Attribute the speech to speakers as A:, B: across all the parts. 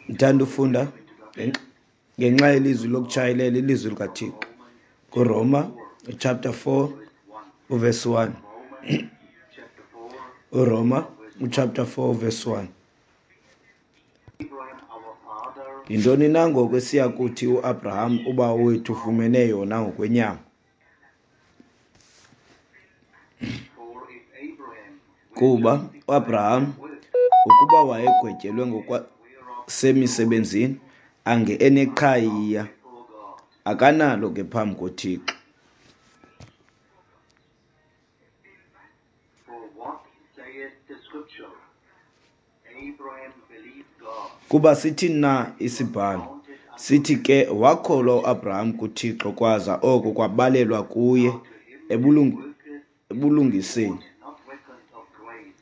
A: Ndithanda ufunda ngenxa yelizwi lokutshayelela ilizwi likaThixo kuRoma chapter 4 uverse 1. URoma uchapter 4 verse 1. Yintoni na ngoko esiya kuthi uAbraham ubawo wethu ufumene yona ngokwenyama? Kuba uAbraham ukuba wayegwetyelwe ngokwasemisebenzini, ange eneqhayiya, akanalo ke phambi koThixo. Kuba sithini na isibhalo? Sithi ke wakholwa uAbraham kuThixo kwaza oko kwabalelwa kuye ebulungiseni.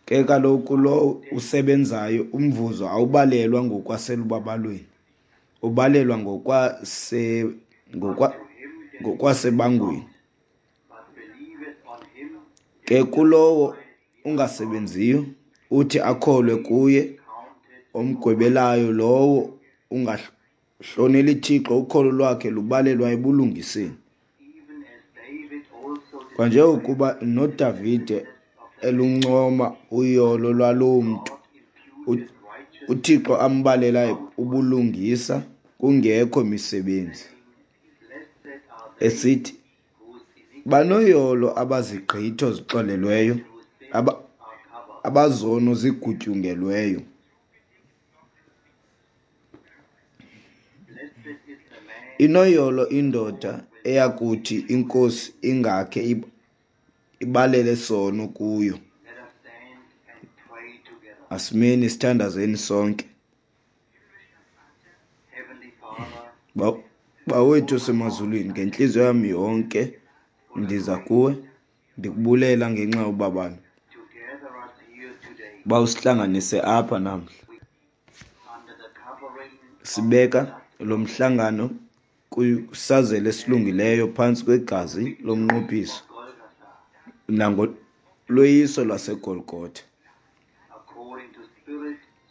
A: Ke kaloku lowo usebenzayo umvuzo awubalelwa ngokwaselubabalweni, ubalelwa ngokwasebangweni. Ke kulowo ungasebenziyo, uthi akholwe kuye omgwebelayo lowo ungahloneli Thixo, ukholo lwakhe lubalelwa ebulungiseni. Kwanjengokuba noDavide eluncoma uyolo lwaloo mntu uThixo ambalela ubulungisa kungekho misebenzi, esithi, banoyolo abazigqitho zixolelweyo, abazono zigutyungelweyo. Inoyolo indoda eyakuthi iNkosi ingakhe ibalele sono kuyo. Asimeni sithandazeni sonke. Bawethu osemazulwini, ngentliziyo yam yonke ndiza kuwe ndikubulela ngenxa yobabalo uba usihlanganise apha namhla. Sibeka lo mhlangano kwisazela esilungileyo phantsi kwegazi lomnqophiso nangolweyiso lwaseGolgotha,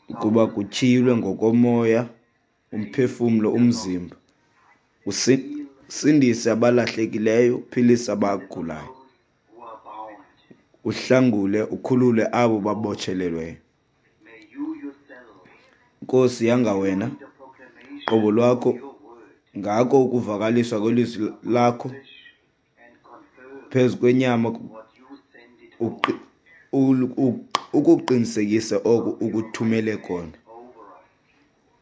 A: ukuba kutyhilwe ngokomoya umphefumlo umzimba, usindise abalahlekileyo, uphilise abagulayo, uhlangule ukhulule abo babotshelelweyo. Nkosi, yanga wena qobo lwakho ngako ukuvakaliswa kwelizwi lakho phezu kwenyama ukuqinisekise oko ukuthumele kona.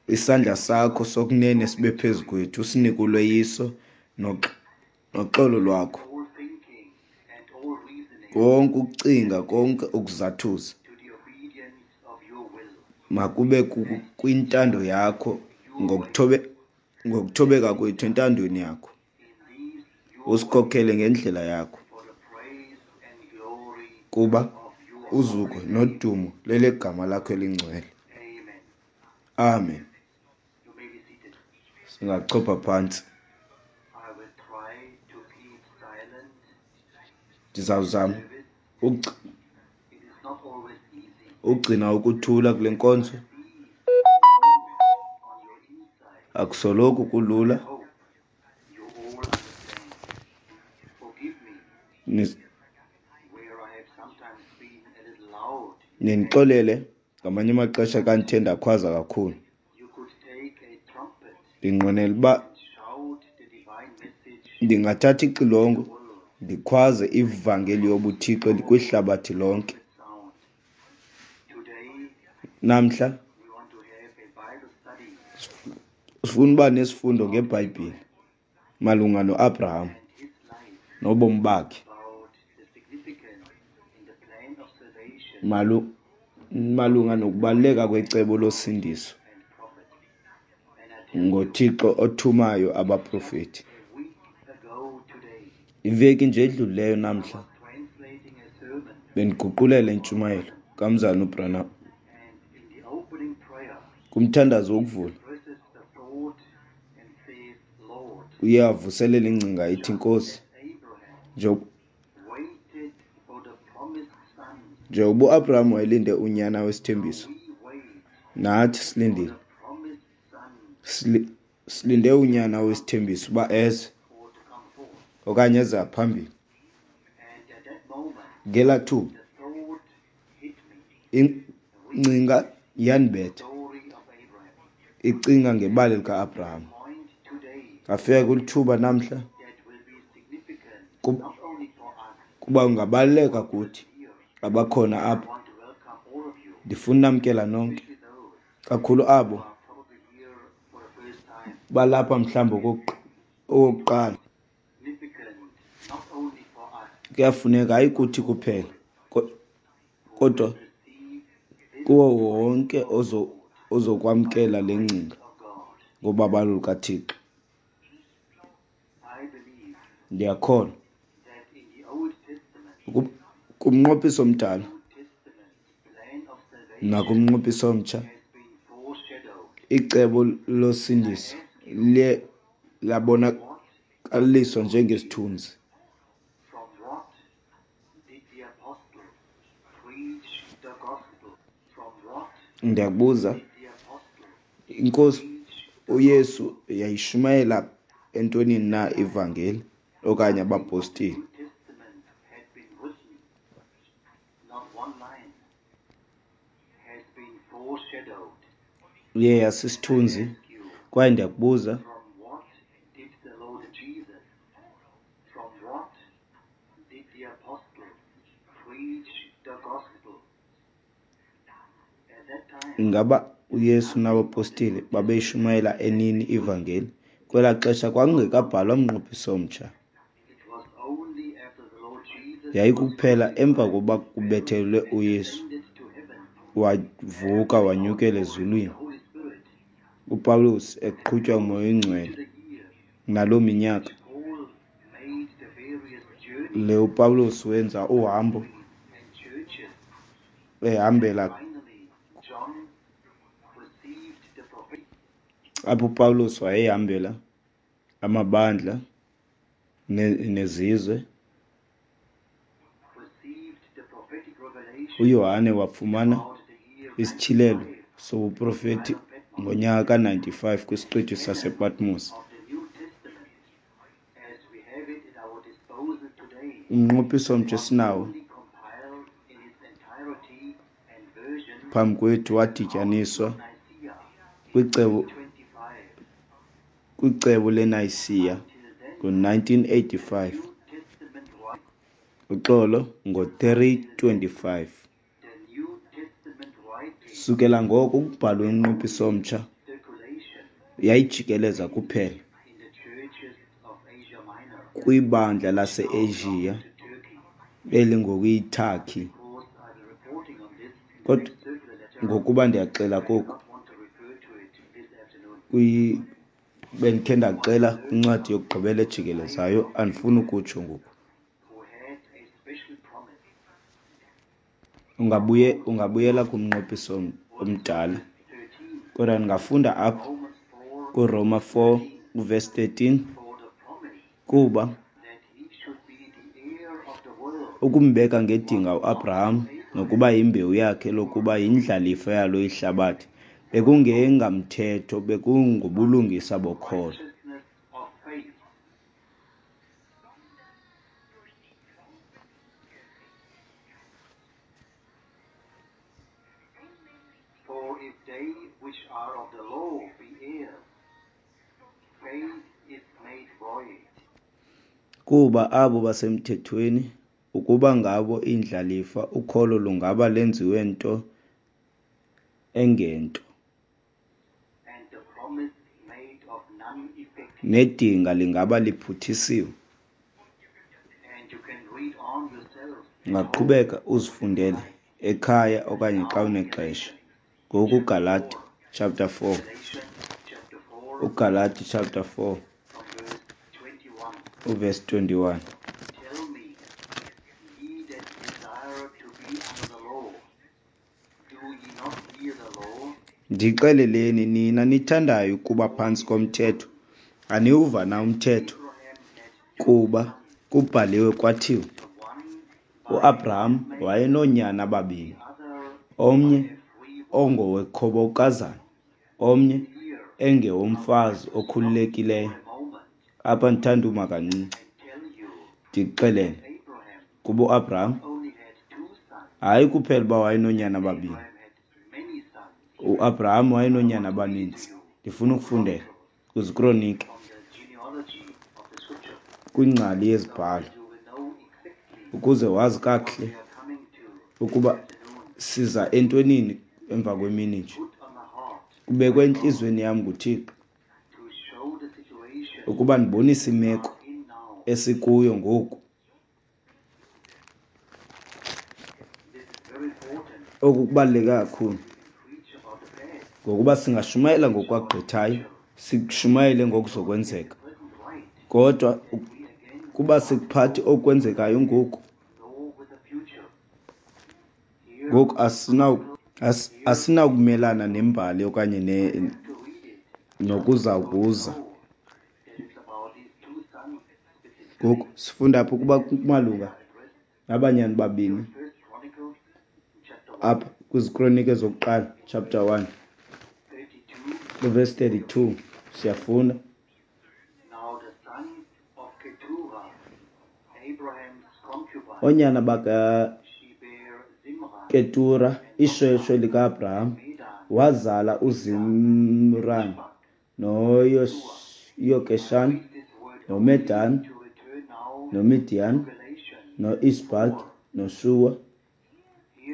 A: Isandla sakho sokunene sibe phezu kwethu, usinike ulweyiso noxolo lwakho. Konke ukucinga, konke ukuzathuza makube kwintando yakho, ngokuthobeka kwethu entandweni yakho. Usikhokhele ngendlela yakho, kuba uzuko nodumo lelegama lakho elingcwele. Amen. Singachopha phantsi. Ndizawuzama ugcina ukuthula kule nkonzo. Akusoloko kulula. Nindixolele ngamanye amaxesha xa ndithe ndakhwaza kakhulu. Ndinqwenela uba ndingathatha ixilongo ndikhwaze ivangeli yobuThixo kwihlabathi lonke. Namhla sifuna uba nesifundo ngeBhayibhile malunga noAbraham nobomi bakhe, malunga nokubaluleka kwecebo losindiso ngoThixo othumayo abaprofeti. Iveki nje edlulileyo namhla bendiguqulela intshumayelo kaMzalwana uBranham. Kumthandazo wokuvula uye avuselele ingcinga ithi, Nkosi, njengoba uAbraham wayelinde unyana wesithembiso, nathi silindile Silinde unyana wesithembiso uba eze okanye eze ngaphambili. Ngelaa thuba ingcinga yandibetha, icinga ngebali lika-Abraham. Ndafika kwilithuba namhla kuba kungabaluleka kuthi abakhona apha. Ndifuna unamkela nonke, kakhulu abo balapha mhlawumbi okokuqala. Kuyafuneka hayi kuthi kuphela kodwa kuwo wonke ozokwamkela le ngcinga ngobabalo lukaThixo. Ndiyakholwa kumnqophiso omdala nakumnqophiso omtsha icebo losindiso liye labonakaliswa njengesithunzi. Ndiyakubuza, iNkosi uYesu yayishumayela entwenini na ivangeli okanye abapostile? Iye yasisithunzi kwaye ndiyakubuza, ingaba uYesu nabapostile babeyishumayela enini ivangeli? Kwelaa xesha kwakungekabhalwa mnqophiso omtsha. Yayikukuphela emva kokuba kubethelelwe uYesu, wavuka wanyukela ezulwini, uPawulos eqhutywa nguMoya oyiNgcwele naloo minyaka le uPawulos wenza uhambo ehambela apho uPawulos wayehambela amabandla nezizwe. UYohane wafumana isityhilelo sobuprofeti ngonyaka ka-95 kwisiqithi sasePatmos. Umnqophiso omtsha esinawo phambi kwethu wadityaniswa kwicebo leNayisiya ngo-1985, uxolo, ngo-325. Sukela ngoko ukubhalwa umnqophiso omtsha yayijikeleza kuphela kwibandla lase-Asia elingoku iyiTurkey. Kodwa ngokuba ndiyaxela koku, bendikhe ndaxela kwincwadi yokugqibela ejikelezayo, andifuni ukutsho ngoku. Ungabuyela kumnqophiso omdala, kodwa ndingafunda apha kuRoma 4 uvesi 13, kuba ukumbeka ngedinga uAbraham nokuba yimbewu yakhe lokuba yindlalifa yalo ihlabathi, bekungengamthetho, bekungobulungisa bokholo. Kuba abo basemthethweni, ukuba ngabo iindlalifa, ukholo lungaba lenziwe nto engento, nedinga lingaba liphuthisiwe. Ungaqhubeka uzifundele ekhaya okanye xa unexesha. Ngoku uGalati chapter 4, uGalati chapter 4 uverse 21. Ndixeleleni nina nithandayo ukuba phantsi komthetho, aniwuva na umthetho? Kuba kubhaliwe kwathiwa, uAbraham wayenoonyana ababini, omnye ongowekhobokazana, omnye Engewomfazi okhululekileyo. Apha ndithanda uma kancinci ndikuxelele kuba uAbraham hayi kuphela uba wayenoonyana ababini. UAbraham wayenoonyana abaninzi. Ndifuna ukufundela kwiziKronike, kwingcali yezibhalo, ukuze wazi kakuhle ukuba siza entwenini emva kwemini nje. Kubekwe entliziyweni yam nguThixo ukuba ndibonise imeko esikuyo ngoku. Oku kubaluleke kakhulu ngokuba singashumayela ngokwagqithayo, sishumayele ngokuzokwenzeka, kodwa kuba sikuphathi okwenzekayo ngoku, ngoku asinawukumelana nembali okanye nokuza kuza. Ngoku sifunda apha ukuba kumalunga nabanyana babini apha kwiziKronike zokuqala chapter 1 verse 32 siyafunda. Oonyana bakaKetura, ishweshwe lika-Abraham, wazala uZimran noYokeshan noMedan noMidiyan noIshbaki noShuwa.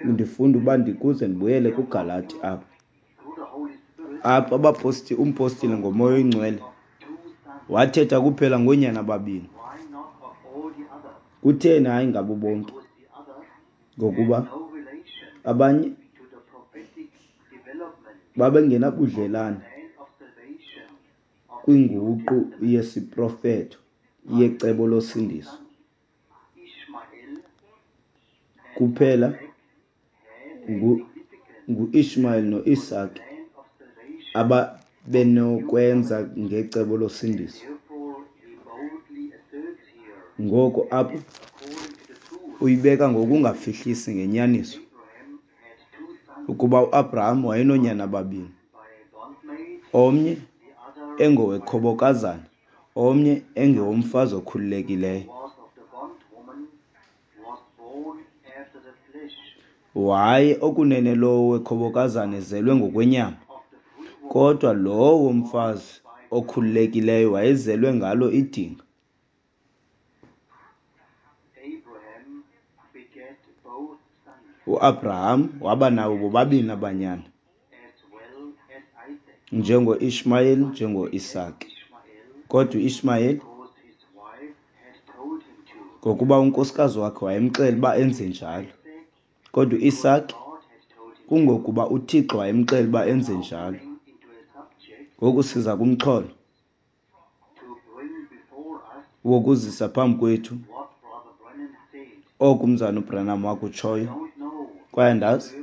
A: Ndifunda uba ndikuze ndibuyele kuGalati apha. Apha umpostile ngoMoya oyiNgcwele wathetha kuphela ngoonyana ababini. Kutheni hayi ngabo bonke? Ngokuba abanye babengenabudlelane kwinguqu yesiprofeto yecebo losindiso. Kuphela nguIshmael noIsake ababenokwenza ngecebo losindiso. Ngoko apha uyibeka ngokungafihlisi ngenyaniso ukuba uAbraham wayenoonyana ababini, omnye engowekhobokazana, omnye engewomfazi okhululekileyo. Waye okunene lowo wekhobokazana ezelwe ngokwenyama, kodwa lowo womfazi okhululekileyo wayezelwe ngalo idinga. UAbraham waba nabo bobabini abanyana, njengoIshmayeli njengoIsake. Kodwa uIshmayeli, ngokuba unkosikazi wakhe wayemxelela uba enze njalo. Kodwa uIsake, kungokuba uThixo wayemxelela uba enze njalo. Ngoku siza kumxholo wokuzisa phambi kwethu oku umzana uBranham wakutshoyo. Kwaye andazi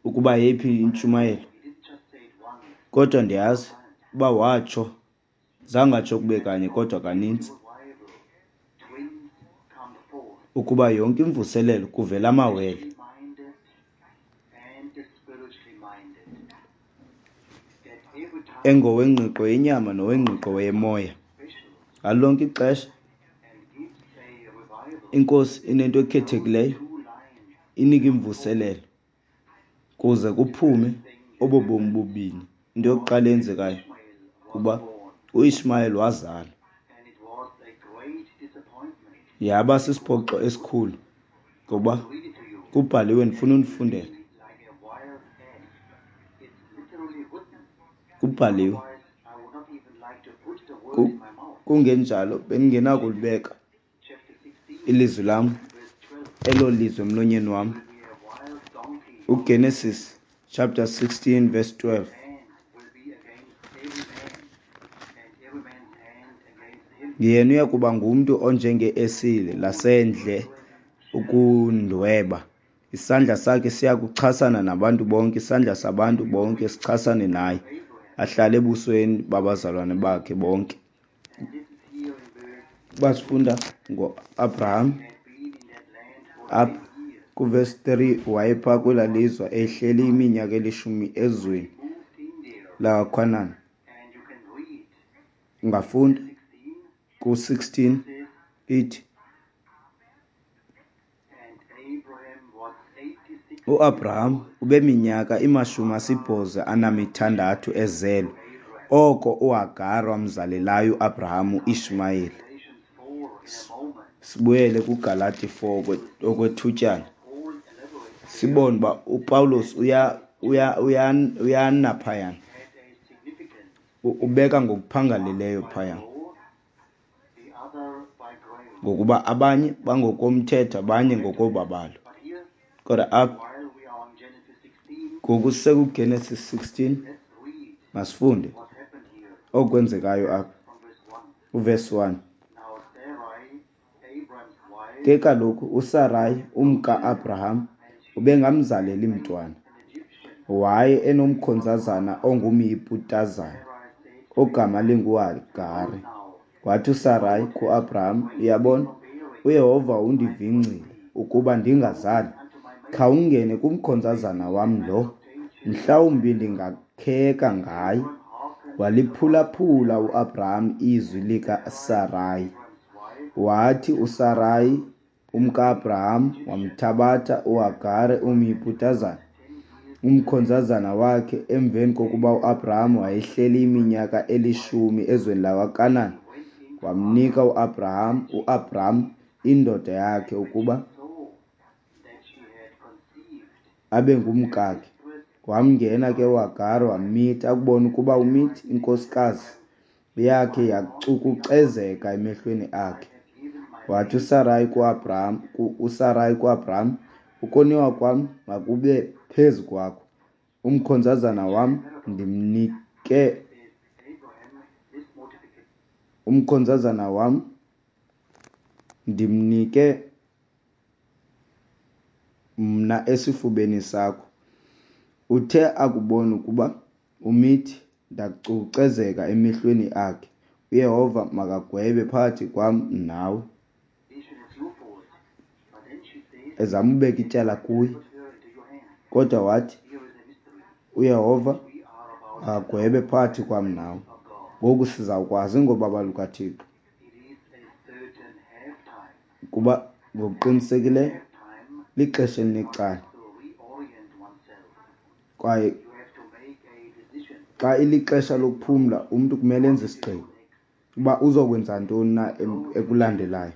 A: ukuba yeyiphi intshumayelo, kodwa ndiyazi uba watsho, zange atsho kube kanye kodwa kaninzi, ukuba yonke imvuselelo kuvela amawele. Engowengqiqo yenyama nowengqiqo yemoya. Ngalo lonke ixesha iNkosi inento ekhethekileyo, inika imvuselelo kuze kuphume obo bomi bubini. Into yokuqala eyenzekayo kuba uIshmayeli wazalwa. Yaba sisiphoxo esikhulu ngoba kubhaliwe, ndifuna unifundela. Kubhaliwe. Kungenjalo bendingenakulibeka ilizwi lam, elo lizwi emlonyeni wam. UGenesis chapter 16 verse 12. Yena uya kuba ngumntu onjenge-esile lasendle ukundweba. Isandla sakhe siya kuchasana nabantu bonke, isandla sabantu bonke sichasane naye, ahlale ebusweni babazalwane bakhe bonke. Basifunda ngoAbraham apha kuvesi 3, wayephaa kwelaa lizwe ehleli iminyaka elishumi ezweni lakwaKhanani. Ungafunda ku-16 ithi, uAbraham ubeminyaka ima-86 ezelwe, oko uHagare wamzalelayo uAbraham uIshmayeli. Sibuyele kuGalati 4 okwethutyana, sibone uba uPawulos uyana phayana, ubeka ngokuphangaleleyo phaya, ngokuba abanye bangokomthetho, abanye ngokobabalo. Kodwa apha ngoku sisekuGenesis 16, masifunde okwenzekayo apha uvesi 1. Ke kaloku uSarayi umka-Abraham ubengamzaleli mntwana, waye enomkhonzazana ongumYiputazana ogama linguHagare. Wathi uSarayi kuAbraham, Uyabona, uYehova undivingcile ukuba ndingazali. Khawungene kumkhonzazana wam lo, mhlawumbi ndingakheka ngaye. Waliphulaphula uAbraham izwi likaSarayi. Wathi uSarayi umka-Abraham wamthabatha uHagare umYiputazana, umkhonzazana wakhe, emveni kokuba uAbraham wayehleli iminyaka elishumi ezweni lakwaKanan, wamnika uAbraham uAbram indoda yakhe ukuba abe ngumkakhe. Wamngena ke uHagare wammitha. Akubona ukuba umithi, inkosikazi yakhe yacukucezeka emehlweni akhe. Wathi uSarayi kuAbraham, uSarayi kuAbraham, ukoniwa kwam makube phezu kwakho. Umkhonzazana wam ndimnike, umkhonzazana wam ndimnike mna esifubeni sakho. Uthe akubona ukuba umithi, ndacukucezeka emehlweni akhe. UYehova makagwebe phakathi kwam nawe. Ezama ubeka ityala kuye, kodwa wathi uYehova makagwebe phakathi kwam nawe. Ngoku sizawukwazi ngobaba lukaThixo, kuba ngokuqinisekileyo lixesha elinecala, kwaye xa ilixesha lokuphumla umntu kumele enze isigqibo uba uzokwenza ntoni na ekulandelayo.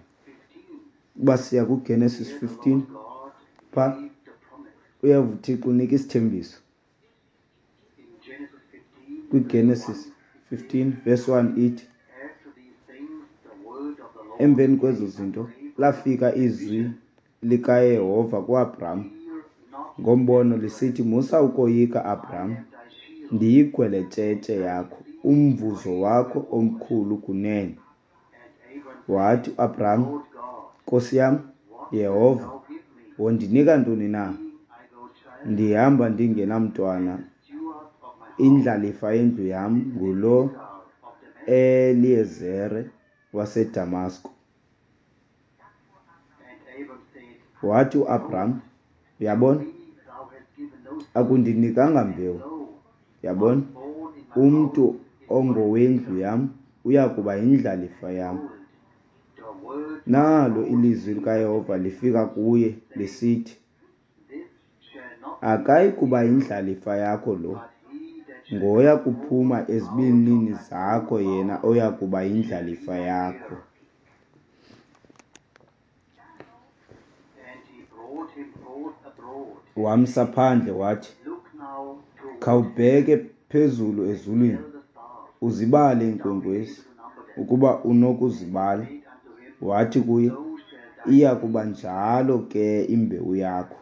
A: Uba siya kuGenesis 15 pha, uyeva uThixo unika isithembiso. KwiGenesis 15 verse 1 ithi, emveni kwezo zinto lafika izwi likaYehova kuAbraham ngombono lisithi, Musa ukoyika, Abraham, ndiyigweletshetshe yakho, umvuzo wakho omkhulu kunene. Wathi uAbraham, Nkosi yam, Yehova, wondinika ntoni na? Ndihamba ndingenamntwana, indlalifa yendlu yam ngulo Eliyezere waseDamasko. Wathi uAbraham, uyabona, akundinikanga mbewu, yabona, umntu ongowendlu yam uya kuba yindlalifa yam. Nalo ilizwi likaYehova lifika kuye lisithi, akayi kuba yindlalifa yakho lo, ngoya kuphuma ezibilini zakho yena oya kuba yindlalifa yakho. Wamsa phandle wathi, khawubheke phezulu ezulwini, uzibale iinkwenkwezi, ukuba unokuzibala. Wathi kuye, iya kuba njalo ke imbewu yakho.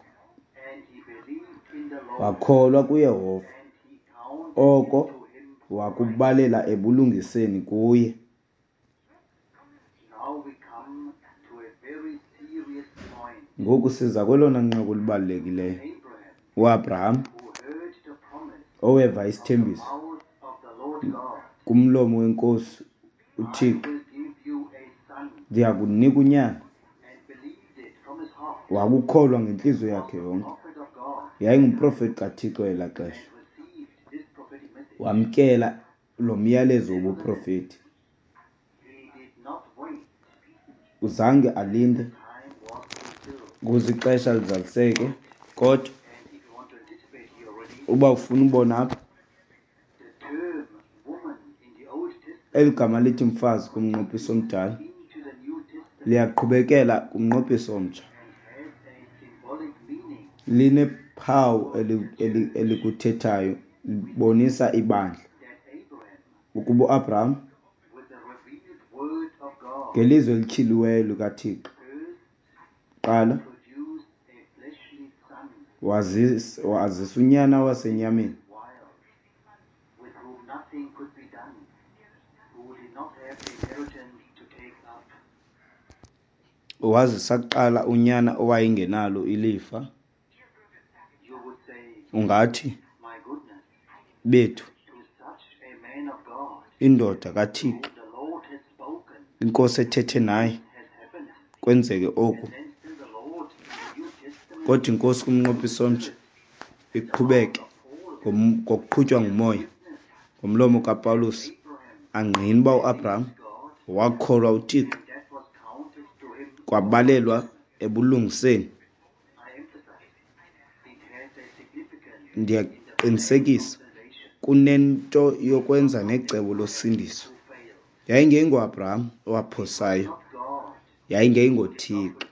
A: Wakholwa kuYehova, oko wakubalela ebulungiseni kuye. Ngoku siza kwelona nqaku libalulekileyo. UAbraham oweva isithembiso kumlomo weNkosi uThixo, ndiyakunika unyana. Wakukholwa ngentliziyo yakhe yonke. Yayingumprofeti kaThixo elaa xesha. Wamkela lo myalezo wobuprofeti. Zange alinde ukuze ixesha lizaliseke, kodwa uba ufuna ubona apha, eli gama lithi mfazi kumnqophiso omdala liyaqhubekela kumnqophiso omtsha. Linephawu elikuthethayo, libonisa ibandla ukuba uAbraham ngelizwi elityhiliweyo likaThixo kuqala wazisa unyana wasenyameni wazisa kuqala unyana owayengenalo ilifa. Ungathi, bethu, indoda kaThixo, inkosi ethethe naye, kwenzeke oku. Kodwa inkosi kumnqophiso omtsha iqhubeke ngokuqhutywa ngumoya ngomlomo kaPawulos angqina uba uAbraham wakholwa uThixo kwabalelwa ebulungiseni. Ndiyaqinisekisa kunento yokwenza necebo losindiso. YayingengoAbraham owaphosayo, yayingengoThixo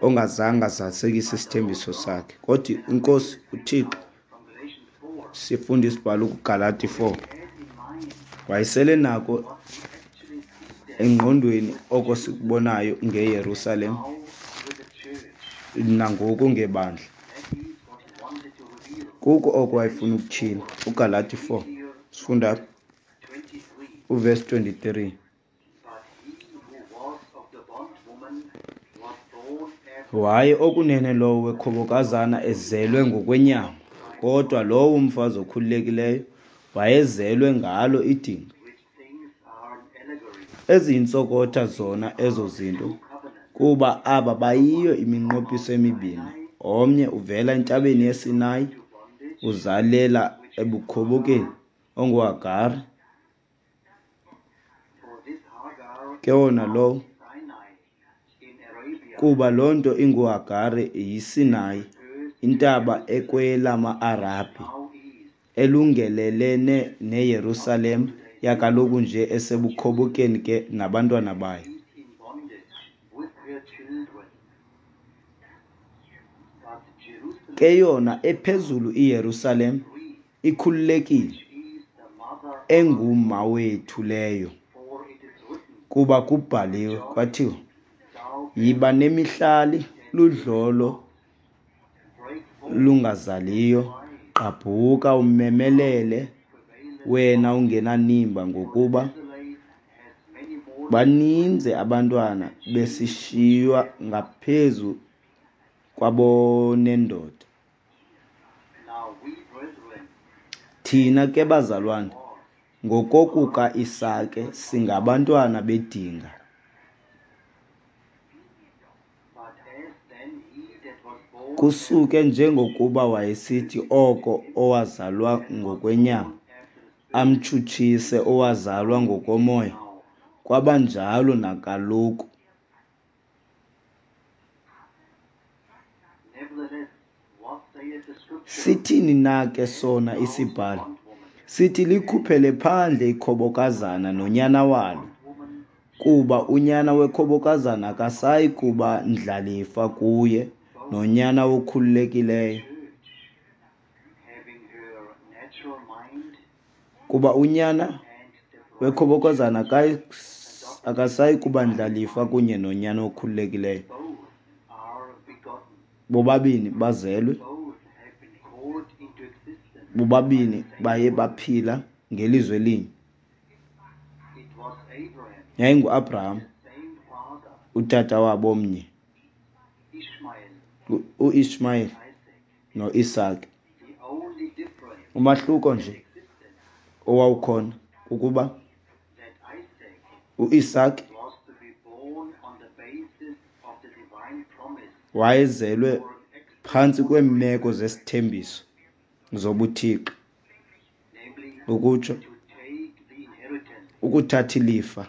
A: ongazange azalisekise isithembiso sakhe, kodwa inkosi uThixo. Sifunda isibhalo kuGalati 4. Wayesele nako engqondweni oko sikubonayo ngeYerusalem nangoku ngebandla. Kuko oko wayefuna ukutyhila. UGalati 4 sifunda uvesi 23. Waye okunene lowo wekhobokazana ezelwe ngokwenyama, kodwa lowo umfazi okhululekileyo wayezelwe ngalo idinga. Eziyintsokotha zona ezo zinto, kuba aba bayiyo iminqophiso emibini, omnye uvela entabeni yeSinayi, uzalela ebukhobokeni, onguHagare. Ke wona lowo, kuba loo nto inguHagare yiSinayi, intaba ekwelama-Arabhi, elungelelene neYerusalem yakaloku nje esebukhobokeni ke nabantwana bayo. Ke yona ephezulu iYerusalem ikhululekile, enguma wethu leyo. Kuba kubhaliwe kwathiwa, yiba nemihlali ludlolo lungazaliyo, gqabhuka umemelele wena ungenanimba, ngokuba baninzi abantwana besishiywa ngaphezu kwabonendoda. Thina ke bazalwane, ngokokuka-Isake singabantwana bedinga. Kusuke njengokuba wayesithi oko owazalwa ngokwenyama amtshutshise owazalwa ngokomoya, kwaba njalo nakaloku. Sithini na ke sona isibhalo? Sithi likhuphele phandle ikhobokazana nonyana walo, kuba unyana wekhobokazana akasayi kuba ndlalifa kuye nonyana wokhululekileyo. Kuba unyana wekhobokazana akasayi kuba ndlalifa kunye nonyana okhululekileyo. Bobabini bazelwe, bobabini baye baphila ngelizwi elinye. YayinguAbraham, utata wabo omnye, uIshmayeli noIsake. Umahluko nje owawukhona kukuba uIsake wayezelwe phantsi kweemeko zesithembiso zobuthixo, ukutsho ukuthatha ilifa.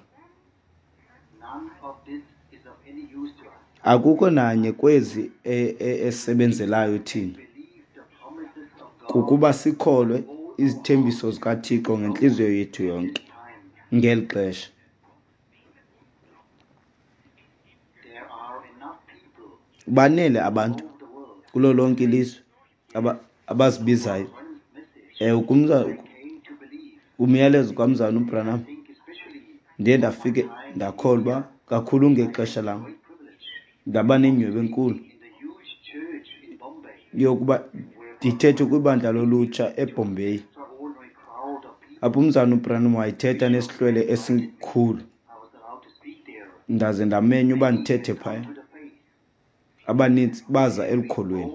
A: Akukho nanye kwezi esebenzelayo thina, kukuba sikholwe izithembiso zikaThixo ngentliziyo yethu yonke ngeli xesha. Banele abantu kulo lonke ilizwe abazibizayo. Umyalezo kaMzalwana uBranham ndiye ndafike ndakholwa kakhulu ngexesha lam, ndaba nenyhweba enkulu yokuba ndithethe kwibandla lolutsha eBombay, apho uMzalwana uBranham wayethetha nesihlwele esikhulu, ndaze ndamenywa uba ndithethe phaya. Abanintsi baza elukholweni.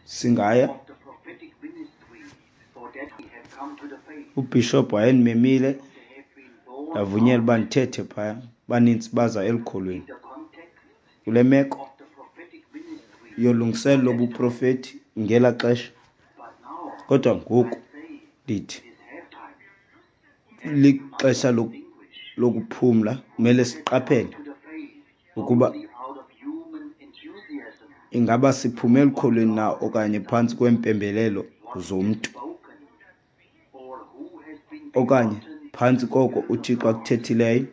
A: Singaya, ubhishophu wayendimemile, ndavunyelwa uba ndithethe phaya. Abanintsi baza elukholweni. Kule meko yolungiselelo lobuprofethi ngela xesha, kodwa ngoku ndithi lixesha lokuphumla, kumele siqaphele ukuba ingaba siphume elukholweni na okanye phantsi kweempembelelo zomntu, okanye phantsi koko uThixo akuthethileyo.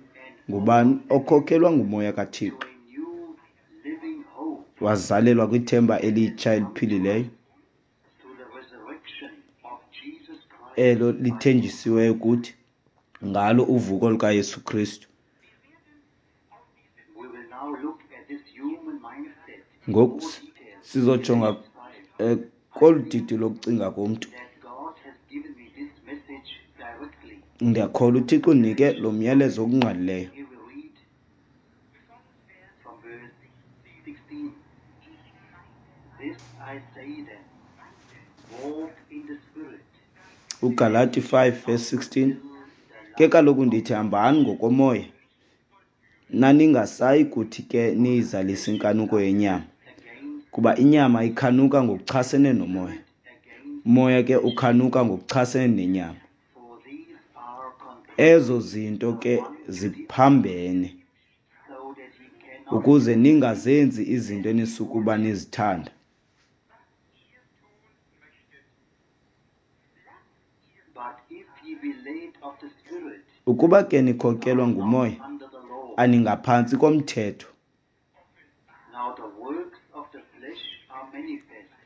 A: Ngubani okhokhelwa nguMoya kaThixo wazalelwa kwithemba elitsha eliphilileyo elo lithenjisiweyo kuthi ngalo uvuko lukaYesu Kristu. Ngoku sizojonga kolu didi lokucinga komntu. Ndiyakholwa uThixo undinike lo myalezo okungqalileyo. UGalati 5 verse 16, ke kaloku ndithi hambani ngokomoya, naningasayi kuthi ke niyizalise inkanuko yenyama, kuba inyama ikhanuka ngokuchasene nomoya, umoya ke ukhanuka ngokuchasene nenyama. Ezo zinto ke ziphambene, ukuze ningazenzi izinto enisukuba nizithanda. Ukuba ke nikhokelwa ngumoya, aningaphantsi komthetho.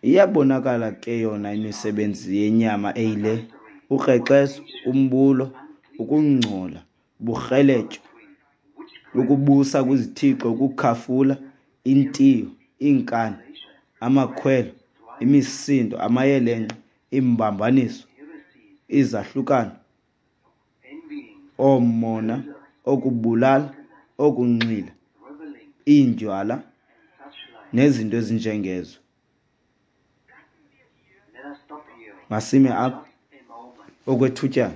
A: Iyabonakala ke yona imisebenzi yenyama eyile: ukrexezo, umbulo, ukungcola, uburheletyo, ukubusa kwizithixo, ukukhafula, intiyo, iinkani, amakhwelo, imisindo, amayelenqe, iimbambaniso, izahlukano, oomona, okubulala, okunxila, iindywala, nezinto ezinjengezo. Masime apha okwethutyana.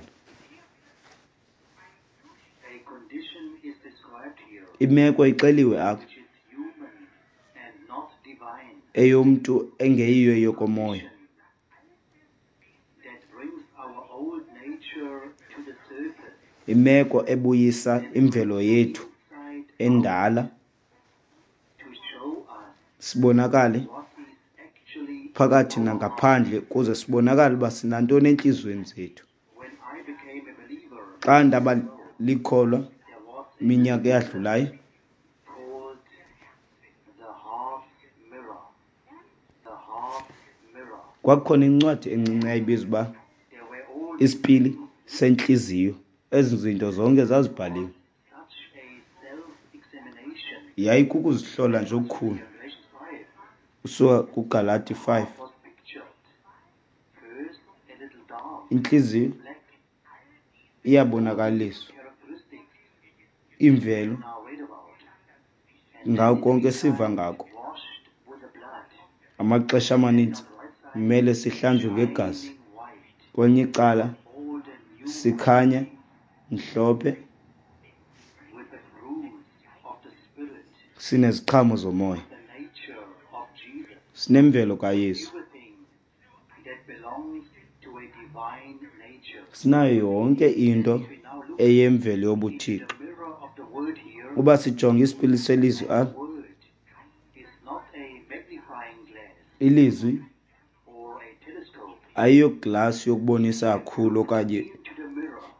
A: Imeko ixeliwe apha, eyomntu engeyiyo eyokomoya, imeko ebuyisa imvelo yethu endala, sibonakale phakathi nangaphandle, kuze sibonakale uba sinantoni entliziyweni zethu. Xa ndaba likholwa iminyaka eyadlulayo, kwakukhona incwadi encinci eyayibizwa uba Isipili Sentliziyo. Ezi zinto zonke zazibhaliwe. Yayikukuzihlola nje okukhulu usuka kuGalati 5. Intliziyo iyabonakaliswa, imvelo ngako konke esiva ngako. Amaxesha amaninzi kumele sihlanjwe ngegazi, kwelinye icala sikhanya mhlophe, sineziqhamo zomoya, sinemvelo kaYesu, sinayo yonke into eyemvelo yobuThixo. Uba sijonga isipili selizwi apha, ilizwi ayiyoglasi yokubonisa kakhulu okanye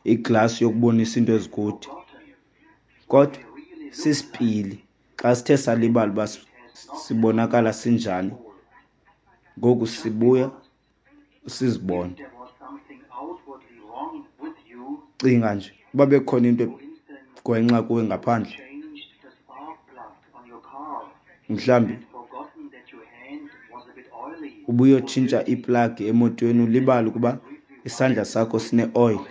A: iglasi yokubonisa into ezikude, kodwa sisipili. Xa sithe salibala uba sibonakala sinjani, ngoku sibuya sizibone. Cinga nje uba bekukhona into egwenxa kuwe ngaphandle, mhlawumbi ubuyotshintsha iplagi emotweni ulibale ukuba isandla sakho sineoyile.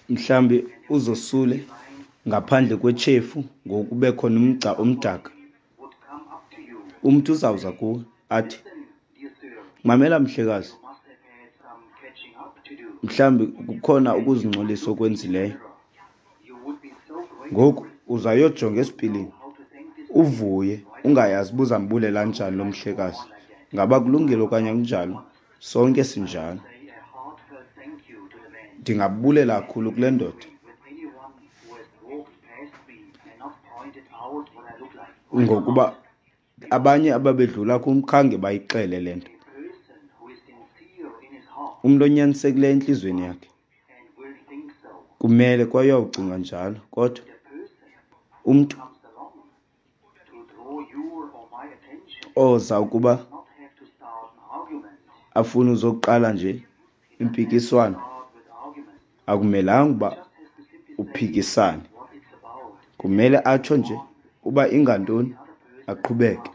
A: Mhlawumbi uzosule ngaphandle kwetshefu ngoku kube khona umgca omdaka. Umntu uzawuza kuwe athi, mamela mhlekazi, mhlawumbi kukhona ukuzingcolisa okwenzileyo. Ngoku uzayojonga esipilini uvuye ungayazi uba uzambulela njani lo mhlekazi. Ngaba kulungile okanye akunjalo? Sonke sinjalo. Ndingabulela kakhulu kule ndoda ngokuba abanye ababedlula kum khange bayixele le nto. Umntu onyanisekileyo entliziyweni yakhe kumele kwaye uyawucinga njalo, kodwa umntu oza ukuba afune uzoqala nje impikiswano, akumelanga uba uphikisane. Kumele atsho nje uba ingantoni, aqhubeke.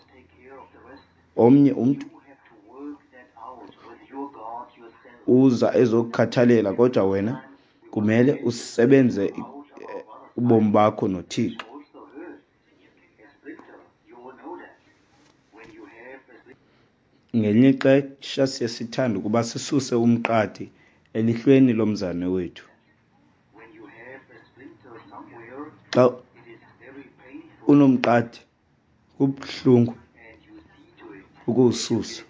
A: Omnye umntu uza ezokukhathalela, kodwa wena kumele usebenze ubomi bakho noThixo. Ngelinye ixesha siye sithande ukuba sisuse umqadi elihlweni lomzalwane wethu. Xa unomqadi kubuhlungu ukuwususa.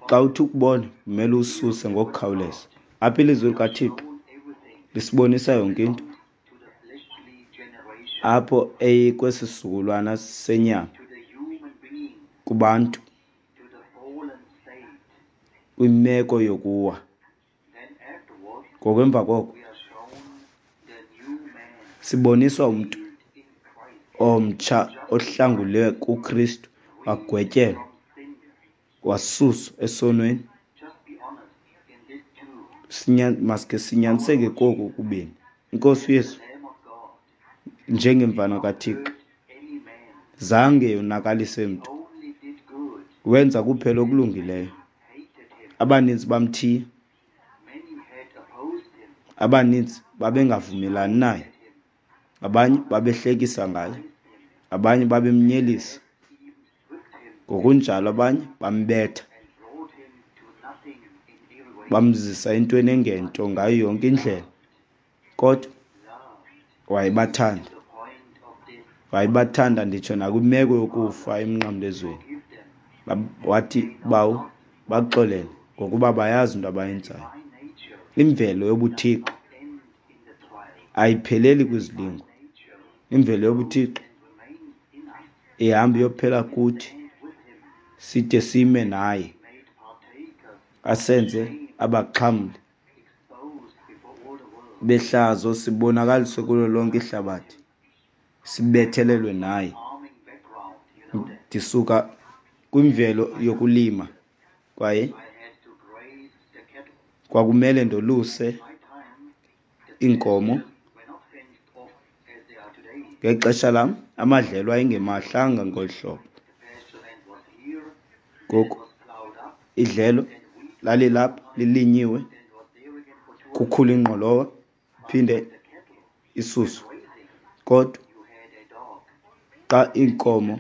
A: Xa uthi ukubona kumele uwususe ngokukhawuleza. Apha ilizwi likaThixo lisibonisa yonke into apho eyikwesi sizukulwana senyama kubantu kwimeko yokuwa. Ngokwemva koko siboniswa umntu omtsha ohlangulwe kuKristu, wagwetyelwa, wasuswa esonweni. Maske sinyaniseke koku kubini. Inkosi uYesu njengemvana kaThixo zange yonakalise mntu, wenza kuphela okulungileyo. Abaninzi bamthiya, abaninzi babengavumelani naye, abanye babehlekisa ngaye, abanye babemnyelisa, ngokunjalo abanye bambetha, bamzisa entweni engento ngayo yonke indlela. Kodwa wayebathanda, wayebathanda nditsho nakwimeko yokufa emnqamlezweni. Wathi, Bawo, baxolele ngokuba bayazi into abayenzayo. Imvelo yobuThixo ayipheleli kwizilingo. Imvelo yobuThixo ihamba iyophela kuthi side sime naye, asenze abaxhamli behlazo, sibonakaliswe kulo lonke ihlabathi, sibethelelwe naye. Ndisuka kwimvelo yokulima kwaye kwakumele ndoluse iinkomo. Ngexesha lam amadlelo ayengemahlanga ngolu hlobo. Ngoku idlelo lalilapha lilinyiwe, kukhula ingqolowa iphinde isuswe. Kodwa xa iinkomo,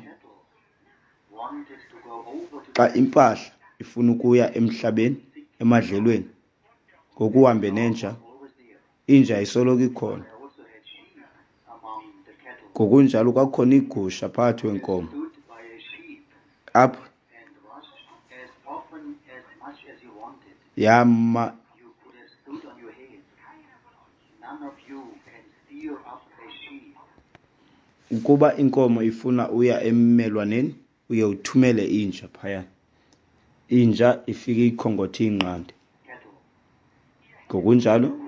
A: xa impahla ifuna ukuya emhlabeni emadlelweni ngokuhambe nenja, inja isoloko ikhona. Ngokunjalo kwakukhona iigusha phakathi kweenkomo. Apha yama Ukuba inkomo ifuna uya emmelwaneni, uye uthumele inja phaya. Inja ifike iyikhongothe iyinqande. Ngokunjalo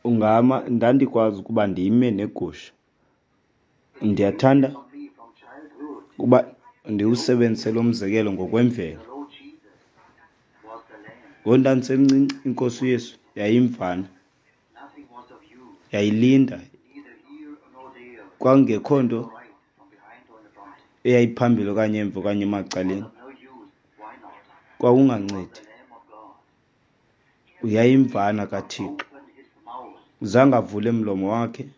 A: ungama, ndandikwazi ukuba ndime negusha. Ndiyathanda ukuba ndiwusebenzise lo mzekelo ngokwemvelo. Ngoku ndandisemncinci, iNkosi uYesu yayimvana, yayilinda. Kwakungekho nto eyayiphambili okanye emva okanye emacaleni, kwakungancedi. Yayimvana kaThixo. Zange avule mlomo wakhe.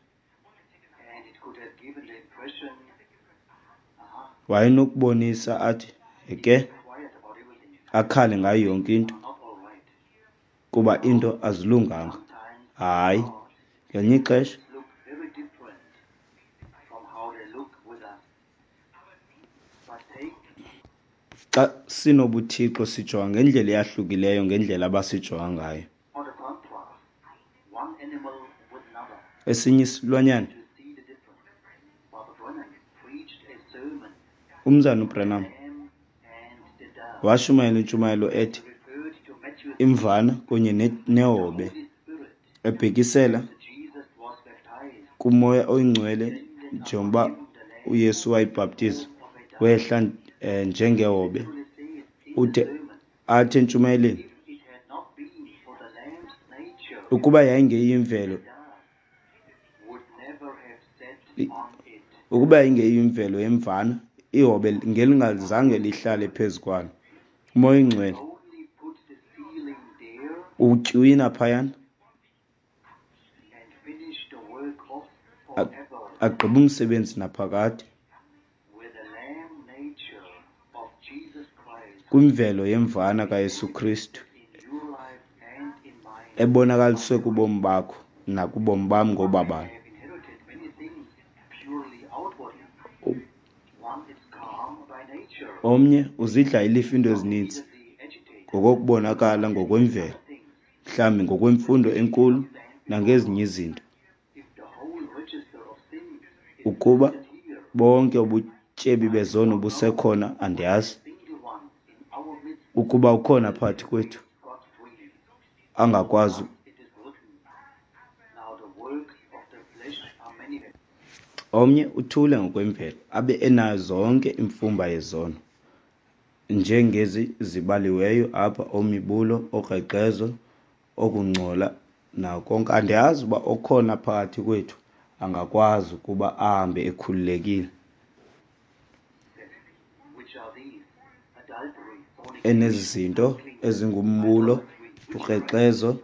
A: Wayenokubonisa athi ke akhale ngayo yonke into kuba into azilunganga. Hayi, ngelinye ixesha xa sinobuthixo sijonga ngendlela eyahlukileyo ngendlela abasijonga ngayo. Esinye isilwanyana, uMzana uBranham washumayela intshumayelo ethi Imvana kunye neHobe, ebhekisela kuMoya oyiNgcwele njengoba uYesu wayebhaptizwa wehla njengehobe. Ude athi entshumayelweni, ukuba yayingeyimvelo, ukuba yayingeyimvelo yemvana, ihobe ngelingazange lihlale phezu kwalo. UMoya oyiNgcwele utywina phayana agqibe umsebenzi naphakade kwimvelo yemvana kaYesu Kristu ebonakaliswe kubomi bakho nakubomi bam ngobabalo. Omnye uzidla ilifa iinto ezininzi ngokokubonakala ngokwemvelo, mhlawumbi ngokwemfundo enkulu nangezinye izinto. Ukuba bonke ubutyebi bezono busekhona, andiyazi ukuba ukhona phakathi kwethu angakwazi. Omnye uthule ngokwemvelo, abe enayo zonke imfumba yezono njengezi zibaliweyo apha, omibulo, okrexezo, okungcola nako konke. Andiyazi uba okhona phakathi kwethu angakwazi ukuba ahambe ekhululekile enezi zinto ezingumbulo, ukrexezo,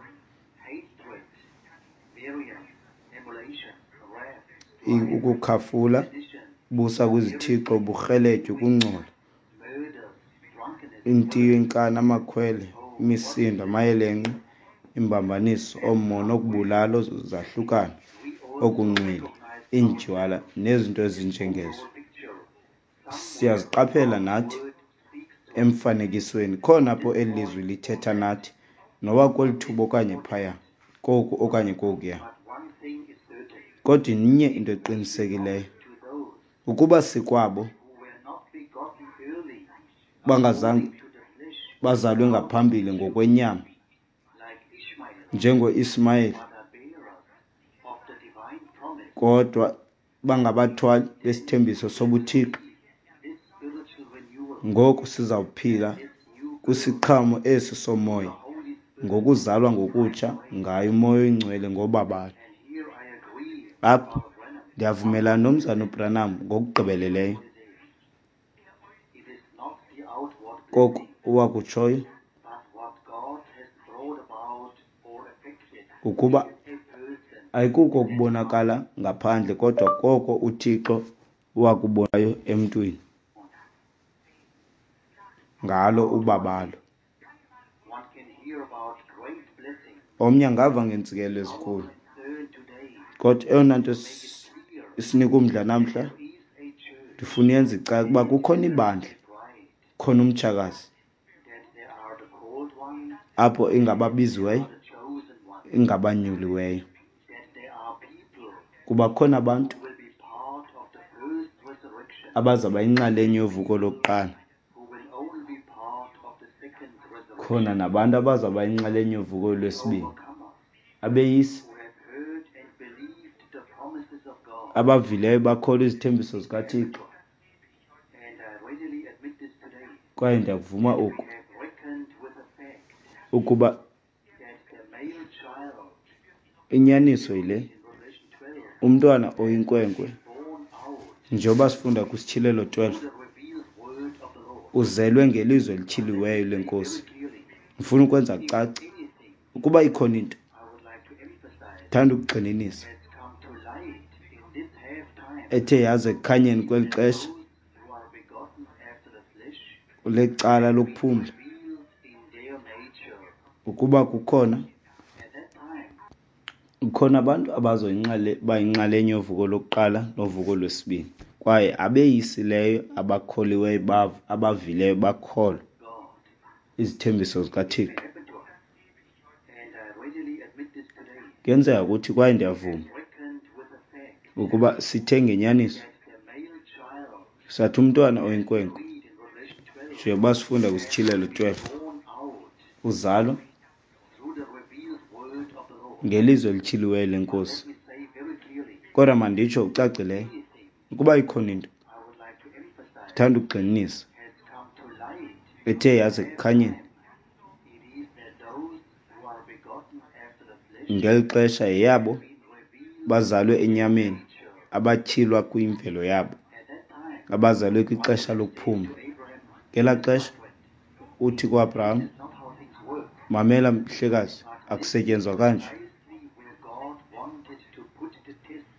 A: ukukhafula, busa kwizithixo, uburheletyo, ukungcola, intiyo, inkani, amakhwele, imisindo, amayelenqe, imbambaniso, oomona, okubulala, zahlukana, okunxila, iindywala nezinto ezinjengezo. Siyaziqaphela nathi emfanekisweni khona apho eli lizwi lithetha nathi, noba kweli thuba okanye phaya, koku okanye kokuya. Kodwa inye into eqinisekileyo, ukuba sikwabo bangazange bazalwe ngaphambili ngokwenyama njengoIsmayeli, kodwa bangabathwali besithembiso sobuthixo, ngoku sizawuphila kwisiqhamo esi somoya ngokuzalwa ngokutsha ngaye uMoya oyiNgcwele ngobabalo. Apha ndiyavumelana noMzana uBranham ngokugqibeleleyo koko wakutshoyo ukuba ayikuko ukubonakala ngaphandle kodwa koko uThixo wakubonayo emntwini ngalo ubabalo. Omnye angava ngeentsikelelo ezinkulu, kodwa eyona nto isinika umdla namhla, ndifuna uyenza icace ukuba kukhona ibandla, khona umtshakazi. Apho ingababiziweyo, ingabanyuliweyo. Kuba khona abantu abazawuba yinxalenye yovuko lokuqala, khona nabantu abazawuba yinxalenye yovuko lwesibini. Abeyisi abavileyo bakholwa izithembiso zikaThixo. Kwaye ndiyakuvuma oku, ukuba inyaniso yile, umntwana oyinkwenkwe, njengoba sifunda kwiSityhilelo 12, uzelwe ngelizwi elityhiliweyo leNkosi. Ndifuna ukwenza kucace, ukuba ikhona into, ndithanda ukugxininisa, ethe yaza ekukhanyeni kweli xesha lecala lokuphumla, ukuba kukhona abantu abazoyinxalenye yovuko lokuqala novuko lwesibini, kwaye abeyisileyo, abakholiweyo, abavileyo bakholwa izithembiso zikaThixo. Kuyenzeka ukuthi, kwaye ndiyavuma ukuba sithe ngenyaniso sathi umntwana oyinkwenkwe, njengoba sifunda kwiSityhilelo 12, uzalwa ngelizwi elityhiliweyo leNkosi. Kodwa manditsho ucacileyo, ukuba ikhona into, ndithanda ukugxininisa, ethe yaza ekukhanyeni ngeli xesha, yeyabo bazalwe enyameni, abatyhilwa kwimvelo yabo, abazalwe kwixesha lokuphumla. Ngelaa xesha uthi kuAbraham, mamela mhlekazi, akusetyenzwa kanje.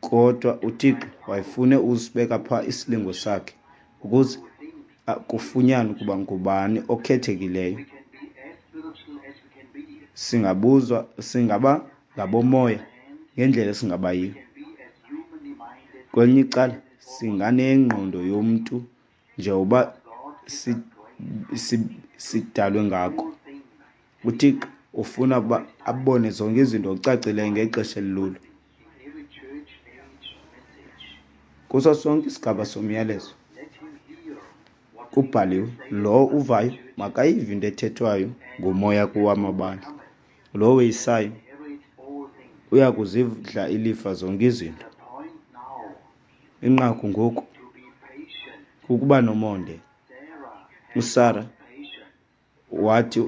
A: Kodwa uThixo wayefune usibeka phaa isilingo sakhe ukuze kufunyanwe ukuba ngubani okhethekileyo. Singabuzwa, singaba ngabomoya ngendlela esingaba yiyo. Kwelinye icala singanengqondo yomntu njengoba sidalwe ngako. UThixo ufuna ukuba abone zonke izinto ngokucacileyo ngexesha elilulo. Kuso sonke isigaba somyalezo kubhaliwe, lowo uvayo makayive into ethethwayo ngumoya kuwamabandla. Lowo weyisayo uya kuzidla ilifa zonke izinto. Inqaku ngoku kukuba nomonde. USara wathi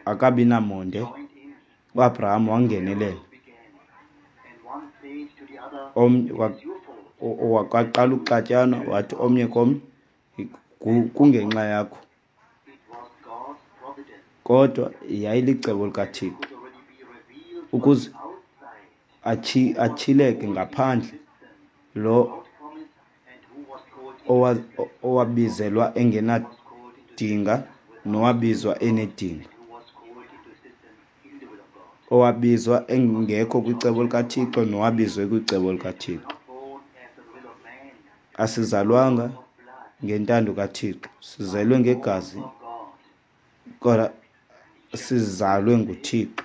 A: akabi namonde, uAbraham wangenelela. Omnye waqala ukuxatyanwa, wathi omnye komnye, kungenxa yakho. Kodwa yayilicebo likaThixo ukuze atyhileke ngaphandle lo owabizelwa engenadinga nowabizwa enedinga, owabizwa engekho kwicebo likaThixo nowabizwe kwicebo likaThixo. Asizalwanga ngentando kaThixo, sizelwe ngegazi, kodwa sizalwe nguThixo.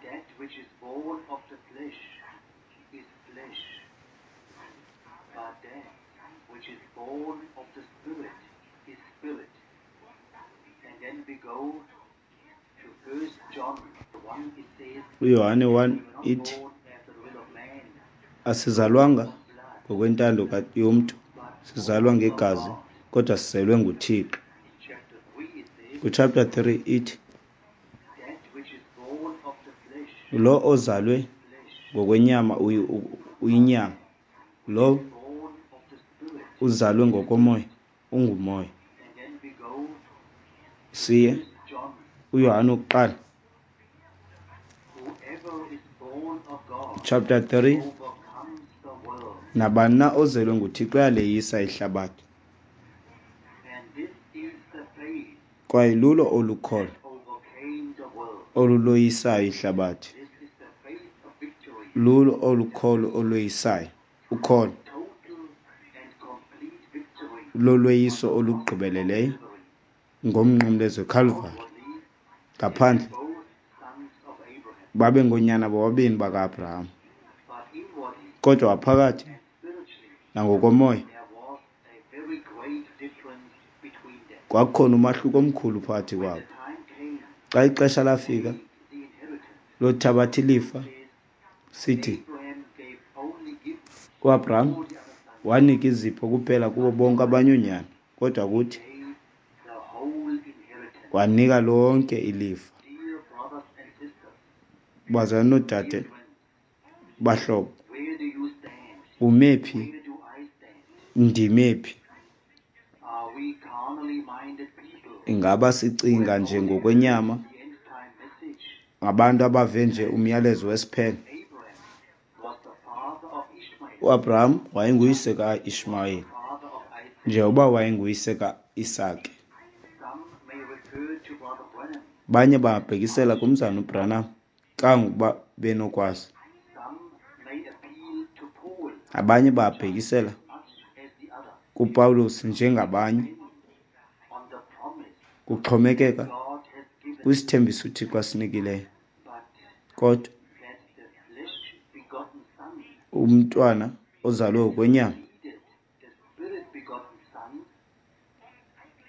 B: That which is born of the flesh is flesh, but that which is born of the Spirit is spirit. And then we go to 1 John 1, it says,
A: uYohane 1
B: we were not
A: ithi
B: born after the will of man,
A: asizalwanga ngokwentando yomntu, sizalwa ngegazi, kodwa sizelwe nguThixo.
B: In chapter 3 it says,
A: Kuchapter 3 ithi
B: that which is born of the flesh,
A: lo ozalwe
B: flesh,
A: ngokwenyama uyinyama, lo
B: born of the Spirit.
A: uzalwe ngokomoya ungumoya.
B: And then we go
A: Siye
B: 1 John,
A: uYohane wokuqala
B: whoever is born of God
A: chapter 3,
B: overcomes the world.
A: nabani na ozelwe nguThixo uyaleyisa ihlabathi.
B: And this is the faith
A: Kwaye lulo olukholo
B: that overcame the world.
A: oluloyisayo ihlabathi.
B: This is the faith of victory.
A: Lulo olukholo oloyisayo, ukholo
B: Total and complete victory
A: lolweyiso olugqibeleleyo Ngomnqamlezo eKhalvari.
B: Outwardly, they were
A: Ngaphandle
B: both sons of Abraham,
A: babengoonyana bobabini baka-Abraham,
B: but inwardly
A: kodwa ngaphakathi
B: and spiritually
A: nangokomoya
B: there was a very great difference between them.
A: kwakukhona umahluko omkhulu phakathi
B: When
A: kwabo.
B: the time came
A: Xa ixesha
B: to
A: lafika
B: take the inheritance,
A: lothabatha ilifa,
B: it says
A: sithi
B: Abraham gave only gifts to
A: uAbraham
B: all the other sons,
A: wanika izipho kuphela kubo
B: but to
A: bonke
B: us
A: abanye oonyana, kodwa
B: he
A: kuthi
B: gave the whole inheritance.
A: wanika lonke ilifa.
B: Dear brothers and sisters,
A: Bazalwane noodade,
B: dear friends,
A: bahlobo,
B: where do you stand?
A: ume phi?
B: Where do I stand?
A: Ndime phi?
B: Are we carnally minded people
A: Ingaba
B: who
A: sicinga
B: have
A: nje
B: only heard
A: ngokwenyama,
B: the end time message?
A: ngabantu abave nje umyalezo wesiphelo?
B: Abraham was the father of Ishmael,
A: UAbraham wayenguyise
B: just as he was the
A: kaIshmayeli,
B: father of Isaac.
A: njengoba wayenguyise kaIsake.
B: Some may refer to Brother Branham
A: Banye
B: as
A: bangabhekisela
B: much
A: kumzana
B: as
A: uBranham
B: others.
A: kangangokuba benokwazi.
B: Some may appeal to Paul
A: Abanye
B: just
A: bangabhekisela
B: as much as the others,
A: kuPawulos njengabanye,
B: depending on the promise
A: kuxhomekeka
B: God has given.
A: kwisithembiso uThixo asinikileyo.
B: But
A: Kodwa
B: that the flesh-begotten Son
A: umntwana ozalwe
B: has
A: ngokwenyama
B: succeeded the Spirit-begotten Son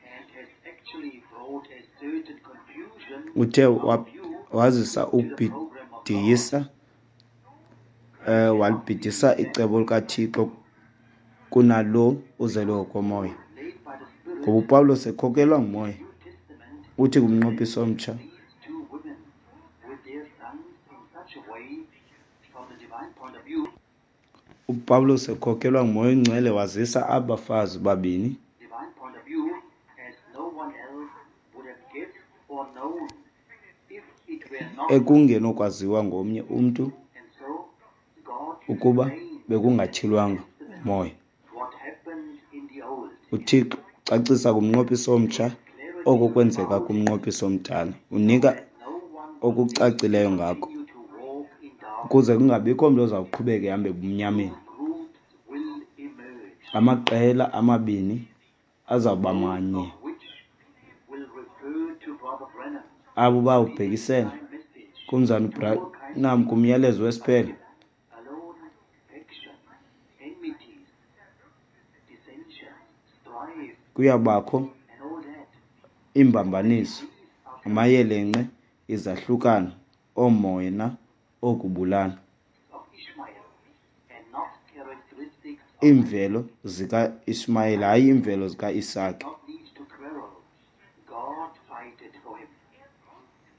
B: and has actually brought a certain confusion
A: uthe
B: in our view
A: wazisa
B: to the program of God
A: ukubhidisa,
B: cannot be
A: walibhidisa icebo
B: accepted.
A: likaThixo kunalo uzelwe ngokomoya.
B: Paul, led by the Spirit
A: Ngoba uPawulos ekhokelwa
B: in the
A: ngumoya,
B: New Testament,
A: uthi kumnqophiso
B: presents
A: omtsha,
B: these two women with their sons in such a way, from the divine point of view,
A: uPawulos ekhokelwa ngumoya oyingcwele wazisa aba bafazi babini
B: divine point of view, as no one else would have guessed or known if it were not.
A: ekungenokwaziwa ngomnye umntu
B: And so God
A: ukuba
B: explained in the New
A: bekungatyhilwanga
B: Testament
A: ngumoya.
B: what happened in the Old.
A: UThixo ucacisa kumnqophiso omtsha
B: Gives clarity
A: oko kwenzeka
B: about it
A: kumnqophiso omdala,
B: so
A: unika
B: that no one will need to
A: okucacileyo ngako,
B: continue to walk in darkness.
A: ukuze kungabikho mntu oza kuqhubeka ehambe ebumnyameni.
B: Two groups will emerge,
A: Amaqela amabini azawuba
B: both
A: manye,
B: of which will refer to Brother Branham,
A: abo
B: the end
A: bawubhekisela
B: time message,
A: kumzana
B: to all kinds
A: uBranham
B: of
A: kumyalezo wesiphelo.
B: arguments, alone, faction, enmities, dissensions, strife,
A: Kuyabakho
B: and all that.
A: iimbambaniso,
B: These are
A: amayelenqe, izahlukano, oomoya okubulala,
B: of Ishmael and not characteristics of Isaac.
A: iimvelo zikaIshmayeli hayi iimvelo
B: Isaac did
A: zikaIsake.
B: not need to quarrel. God fighted for him.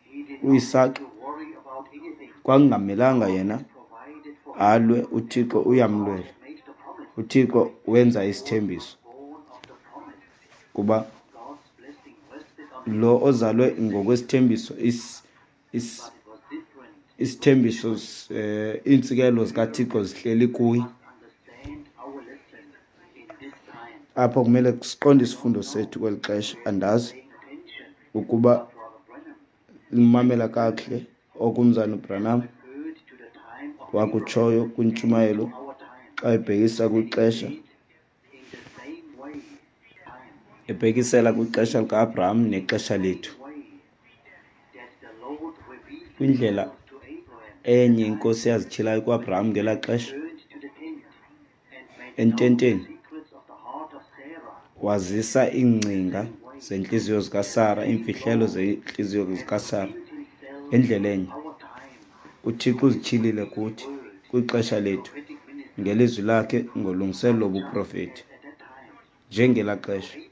B: He did not have
A: UIsake
B: to worry about anything.
A: kwakungamelanga
B: God
A: yena
B: had provided for him.
A: alwe, uThixo
B: God
A: uyamlwela.
B: had made the promise.
A: UThixo wenza
B: He was
A: isithembiso
B: born of the promise.
A: kuba
B: God's blessing rested on him.
A: lo ozalwe ngokwesithembiso
B: But it was different with
A: isithembiso
B: Ishmael.
A: iintsikelelo zikaThixo zihleli
B: We
A: kuye.
B: must understand our lesson in this time.
A: Apha kumele siqonde
B: I don't
A: isifundo
B: know
A: sethu kweli xesha.
B: where you are
A: Andazi
B: paying attention,
A: ukuba
B: but Brother Branham
A: limamela kakuhle okumzana uBranham
B: referred to the time of Abraham
A: wakutshoyo
B: and to
A: kwintshumayelo
B: our time.
A: xa ebhekisa
B: And he
A: kwixesha,
B: said in the same way, time,
A: ebhekisela kwixesha lika-Abraham nexesha
B: same
A: lethu.
B: way that the Lord revealed
A: Kwindlela
B: himself to Abraham at the
A: enye
B: time
A: inkosi yazityhilayo kuAbraham ngelaa
B: when he
A: xesha
B: turned to the tent and made known the
A: ententeni,
B: secrets of the heart of Sarah,
A: wazisa
B: the
A: iingcinga
B: same way
A: zentliziyo
B: the
A: zikaSara,
B: same
A: iimfihlelo
B: God
A: zentliziyo
B: has
A: zikaSara.
B: revealed himself
A: Ngendlela
B: in
A: enye
B: our time
A: uThixo
B: through his
A: uzityhilile
B: revealed
A: kuthi
B: word
A: kwixesha
B: and
A: lethu
B: prophetic ministry,
A: ngelizwi lakhe ngolungiselelo
B: just
A: lobuprofeti.
B: as at that time
A: Njengelaa
B: to
A: xesha
B: Abraham,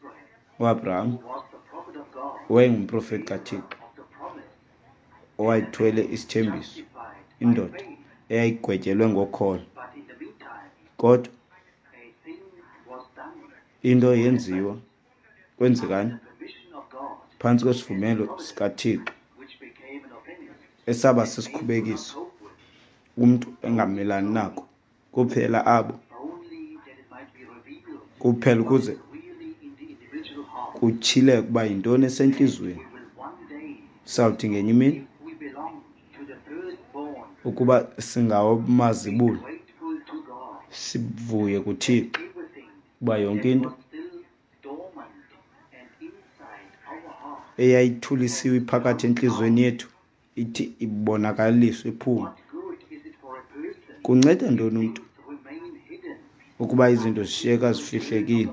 A: uAbraham
B: who was the prophet of God,
A: wayengumprofeti
B: bearer
A: kaThixo
B: of the promise, and a
A: owayethwele
B: man
A: isithembiso,
B: justified by
A: indoda
B: faith.
A: eyayigwetyelwe ngokholo.
B: But in the meantime,
A: Kodwa
B: a thing was done
A: into
B: or
A: yenziwa
B: happened
A: kwenzekani
B: under the permission of God
A: phantsi
B: and the
A: kwesivumelo
B: providence,
A: sikaThixo
B: which became an offense
A: esaba
B: that man could not
A: sisikhubekiso
B: cope with.
A: umntu
B: Those
A: engamelani
B: knowing
A: nako, kuphela abo
B: only that it might be revealed
A: kuphela
B: what
A: ukuze
B: is really in the individual heart.
A: kutyhileke ukuba yintoni
B: And
A: esentliziyweni.
B: we will one day,
A: Sawuthi ngenye imini
B: if we belong to the firstborn,
A: ukuba
B: be
A: singawamazibulo
B: grateful to God
A: sivuye
B: that
A: kuThixo
B: everything
A: ukuba yonke
B: that
A: into
B: was still dormant and inside our
A: Eyayithulisiwe iphakathi entliziyweni yethu ithi ibonakaliswe iphume. Kunceda ntoni umntu ukuba izinto zishiyeka zifihlekile?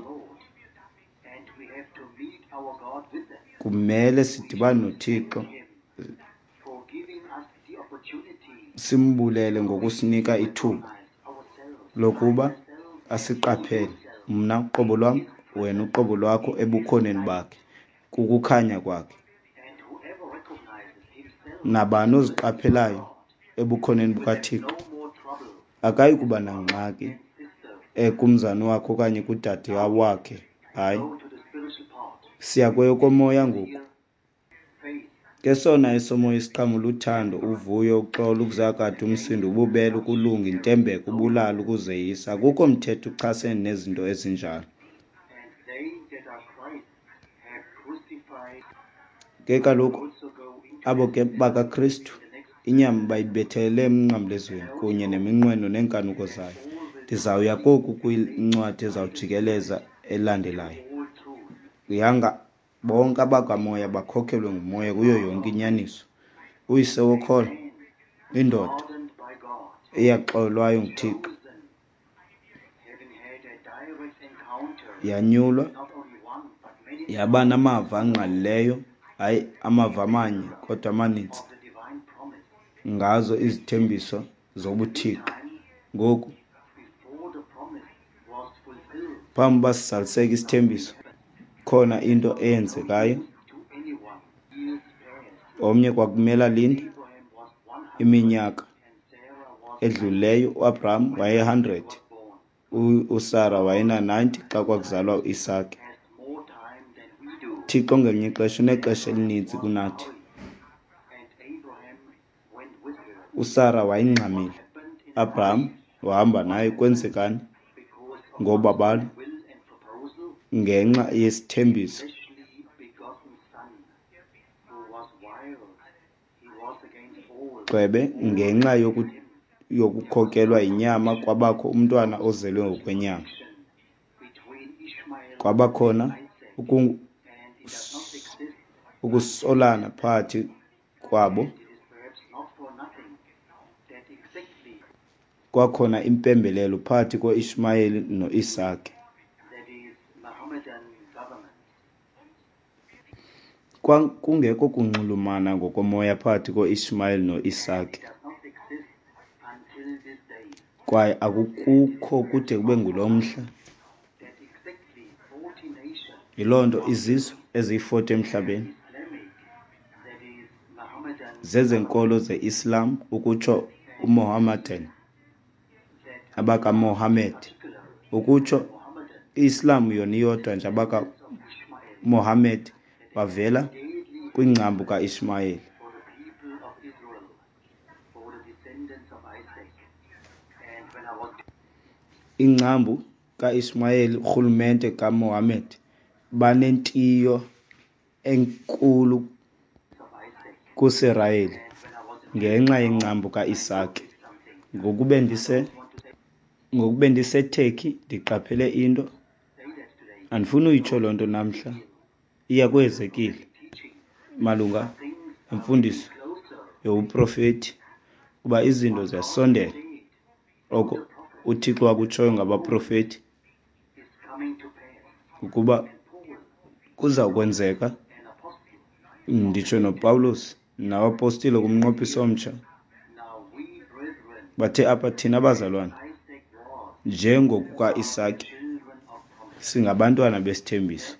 A: Kumele sidibane noThixo simbulele ngokusinika ithuba lokuba asiqaphele, mna uqobo lwam, wena uqobo lwakho, ebukhoneni bakhe, kukukhanya kwakhe. Nabani oziqaphelayo ebukhoneni bukaThixo akayi kuba nangxaki kumzani wakhe okanye kudade wakhe. Hayi, siya kweyokomoya ngoku. Ke sona esomoya isiqhamo luthando, uvuyo, uxolo, ukuzakatha, umsindo, ububele, ukulunga, intembeko, ubulali, ukuzeyisa. Akukho mthetho uchasene nezinto ezinjalo. Ke kaloku abo ke bakaKristu inyama bayibethelele emnqamlezweni kunye neminqweno neenkanuko zayo. Ndizawuya koku kwincwadi ezawujikeleza elandelayo. Yanga bonke abakamoya bakhokhelwe ngumoya kuyo yonke inyaniso. Uyise wokholo, indoda eyaxolwayo nguThixo, yanyulwa, yaba namava angqalileyo, hayi amava amanye kodwa amaninzi, ngazo izithembiso zobuThixo. Ngoku, phambi uba sizaliseke isithembiso, khona into eyenzekayo. Omnye kwakumele alinde iminyaka edlulileyo. UAbraham waye-100, uSara wayena-90 xa kwakuzalwa uIsake. Thixo ngelinye ixesha unexesha elininzi kunathi. USara wayengxamile, Abraham wahamba naye. Kwenzekani? Ngobabalo, ngenxa yesithembiso, gxebe, ngenxa yokukhokelwa yinyama kwabakho umntwana ozelwe ngokwenyama. Kwabakhona ukusolana phakathi kwabo. Kwakhona impembelelo phakathi koIshmayeli noIsake. Kwakungekho kunxulumana ngokomoya phakathi koIshmayeli noIsake, kwaye akukho kude kube ngulo mhla. Yiloo nto izizwe eziyi-40 emhlabeni zezenkolo ze-Islam, ukutsho uMohammedan, abakaMohammed, ukutsho i-Islam yona iyodwa nje, abakaMohammed bavela kwingcambu kaIshmayeli. Ingcambu kaIshmayeli, urhulumente kaMohammed, banentiyo enkulu kuSirayeli ngenxa yengcambu kaIsake. Ngokube ndiseTurkey ndiqaphele into, andifuni uyitsho loo nto namhla, iya kweHezekile malunga nemfundiso yobuprofethi, kuba izinto ziyasondela oko uThixo wakutshoyo ngabaprofethi ukuba kuza kwenzeka. Nditsho noPawulos nabapostile kumnqophiso omtsha bathe apha, thina bazalwane, njengokuka-Isake, singabantwana besithembiso.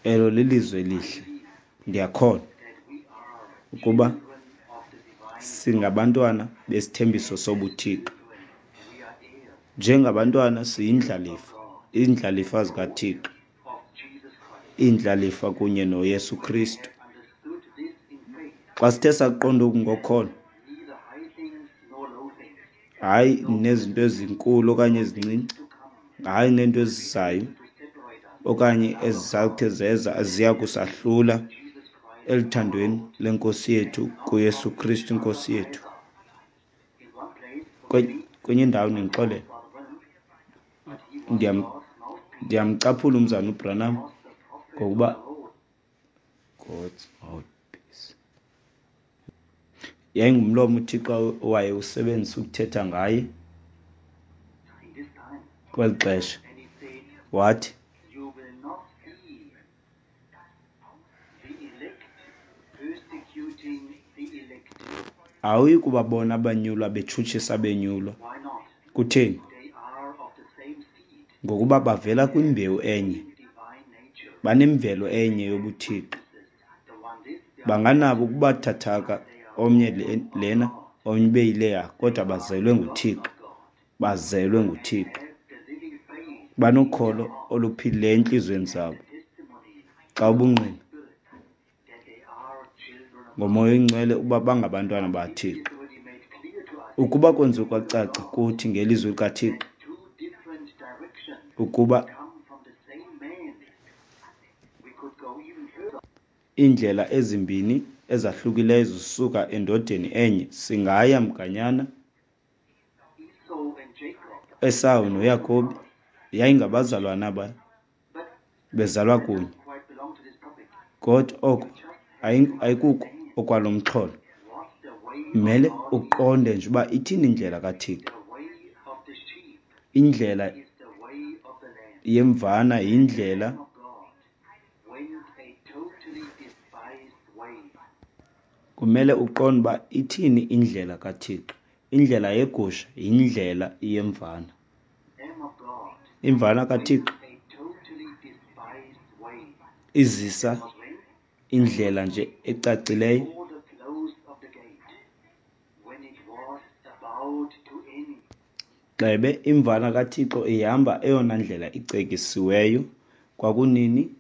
A: Elo lilizwi elihle. Ndiyakholwa ukuba singabantwana besithembiso sobuThixo. Njengabantwana siyindlalifa, iindlalifa zikaThixo, iindlalifa kunye noYesu Kristu. Xa sithe saqonda oku ngokholo, hayi nezinto ezinkulu okanye ezincinci, hayi neento ezizayo okanye ezizawuthi zeza ziya kusahlula eluthandweni lenkosi yethu kuYesu Kristu inkosi yethu. Kwenye indawo nindixolele, ndiyamcaphula umzana uBranham ngokuba God's mouthpiece. Yayingumlomo uThixo owayewusebenzisa ukuthetha ngaye kweli xesha. Wathi, awuyi kubabona abanyulwa betshutshisa abenyulwa. Kutheni? Ngokuba bavela kwimbewu enye, banemvelo enye yobuthixo. Banganabo ukubathathaka omnye lena omnye ube yileya, kodwa bazelwe nguThixo, bazelwe nguThixo, banokholo oluphilileyo entliziyweni zabo. Xa ubungqina ngoMoya oyiNgcwele uba bangabantwana baThixo, ukuba kwenziwe kwacaca kuthi ngelizwi likaThixo ukuba iindlela ezimbini ezahlukileyo zisuka endodeni enye, singaya mganyana. Esawu noYakobi yayingabazalwana aba bezalwa kunye, kodwa oko ayikuko okwalo mxholo. Mele uqonde nje uba ithini indlela kaThixo. Indlela yemvana yindlela kumele uqonde uba ithini indlela kaThixo. Indlela yegusha yindlela yemvana. Imvana kaThixo izisa indlela nje ecacileyo. Gxebe, imvana kaThixo ihamba eyona ndlela icekisiweyo. Kwakunini?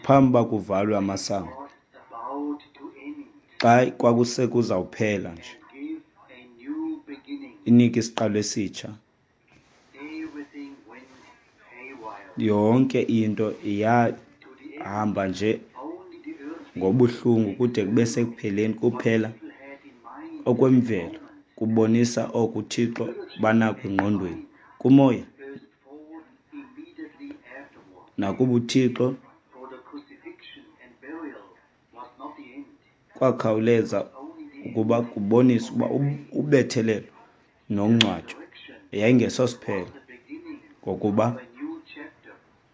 A: Phambi uba kuvalwe amasango, xa kwakusekuzawuphela nje, inike isiqalo esitsha. Yonke into yahamba nje ngobuhlungu kude kube sekupheleni kuphela okwemvelo kubonisa oko uThixo banako engqondweni kumoya nakubuThixo kwakhawuleza ukuba kubonise ukuba ubethelelo nongcwatywa yayingesosiphelo, ngokuba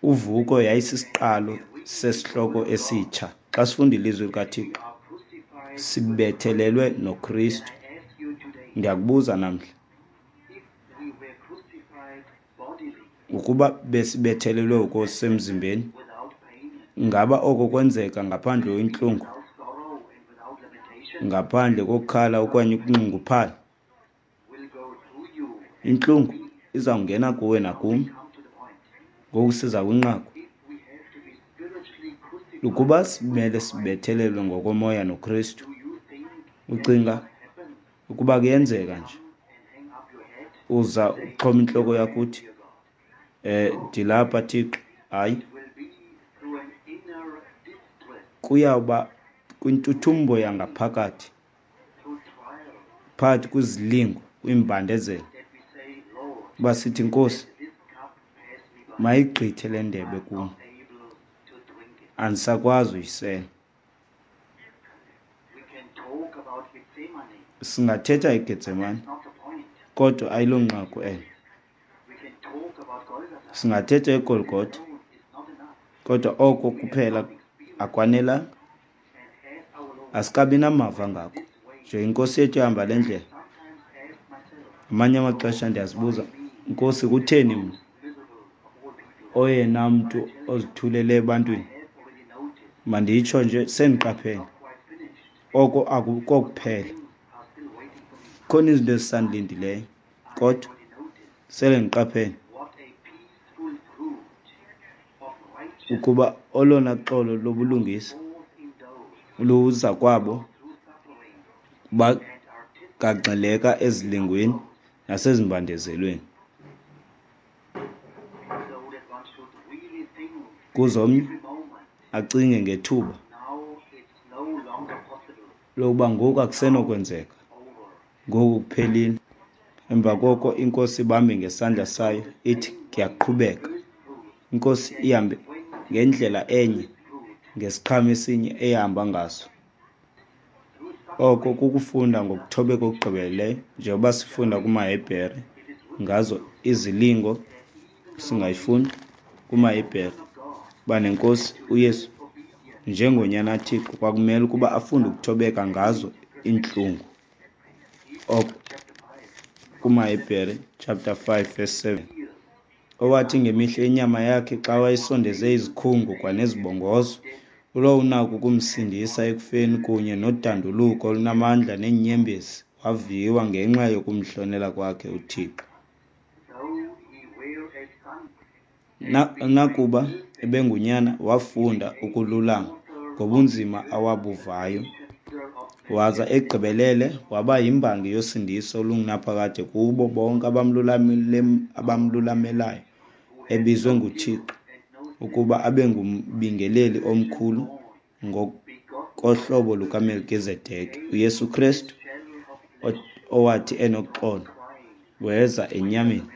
A: uvuko yayisisiqalo sesihloko esitsha. Xa sifunda ilizwi likaThixo, sibethelelwe noKristu. Ndiyakubuza namhla, ukuba besibethelelwe ngokusemzimbeni, ngaba oko kwenzeka ngaphandle kwentlungu, ngaphandle kokukhala okanye ukunxunguphala? Intlungu izawungena kuwe nakum. Ngoku siza kwinqaku. Ukuba simele sibethelelwe ngokomoya noKristu, ucinga ukuba kuyenzeka nje uza uxhoma intloko yakho uthi, ndilapha Thixo? Hayi, kuyawuba kwintuthumbo yangaphakathi, phakathi kwizilingo, kwiimbandezelo, uba sithi, Nkosi, mayigqithe le ndebe kum, andisakwazi uyisela. Singathetha eGetsemane, kodwa ayilonqaku elo. Singathetha eGolgotha, kodwa oko kuphela akwanelanga. Asikabi namava ngako. Nje iNkosi yethu ihamba le ndlela. Amanye amaxesha ndiyazibuza, Nkosi, kutheni mna, oyena mntu ozithulele ebantwini? Manditsho nje sendiqaphele oko akukokuphela. Khona izinto ezisandilindileyo, kodwa sele ndiqaphele ukuba olona xolo lobulungisa luza kwabo bagagxeleka ezilingweni nasezimbandezelweni. Kuze omnye acinge ngethuba lokuba ngoku akusenokwenzeka, ngoku kuphelile. Emva koko iNkosi ibambe ngesandla sayo ithi, Kuyaqhubeka. INkosi ihambe ngendlela enye, ngesiqhamo esinye eyahamba ngaso. Oko kukufunda ngokuthobeka okugqibeleleyo, njengoba sifunda kumaHebhere ngazo izilingo, singayifunda kumaHebhere uba neNkosi uYesu njengoNyana kaThixo kwakumele ukuba afunde ukuthobeka ngazo iintlungu. Oko kumaHebhere chapter 5 verse 7. Owathi ngemihla yenyama yakhe, xa wayesondeze izikhungo kwanezibongozo, ulowo unako ukumsindisa ekufeni, kunye nodanduluko olunamandla neenyembezi, waviwa ngenxa yokumhlonela kwakhe uThixo. Nakuba ebengunyana, wafunda ukululama ngobunzima awabuvayo, waza egqibelele waba yimbangi yosindiso olungunaphakade kubo bonke abamlulamelayo, ebizwe nguThixo ukuba abe ngumbingeleli omkhulu ngokohlobo lukaMelkizedeki. UYesu Kristu, owathi enoxolo, weza enyameni,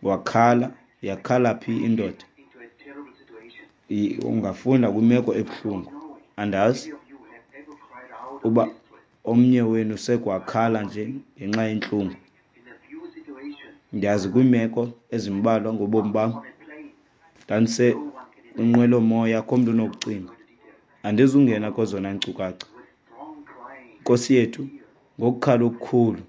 A: wakhala. Yakhala phi indoda? Ungafunda kwimeko ebuhlungu. Andazi uba omnye wenu sekwakhala nje ngenxa yentlungu. Ndiyazi kwiimeko ezimbalwa ngobomi bam, ndandisekwinqwelomoya, akho mntu unokucinga. Andizungena kwezona nkcukacha. Nkosi yethu, ngokukhala okukhulu,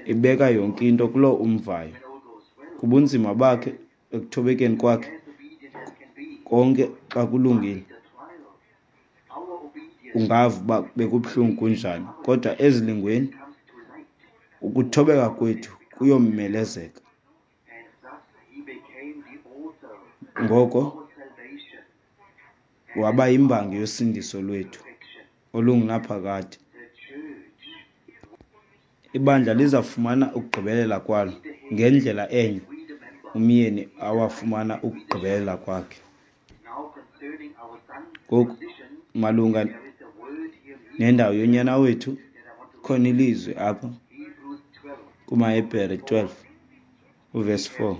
A: ibeka yonke into kuloo umvayo. Kubunzima bakhe, ekuthobekeni kwakhe, konke xa kulungile, ungava uba bekubuhlungu kunjani, kodwa ezilingweni ukuthobeka kwethu kuyomelezeka. Ngoko waba yimbangi yosindiso lwethu olungunaphakade. Ibandla lizawufumana ukugqibelela kwalo ngendlela enye umyeni awafumana ukugqibelela kwakhe. Ngoku malunga nendawo yonyana wethu, khona ilizwi apha kumaHebhere 12 uvesi 4.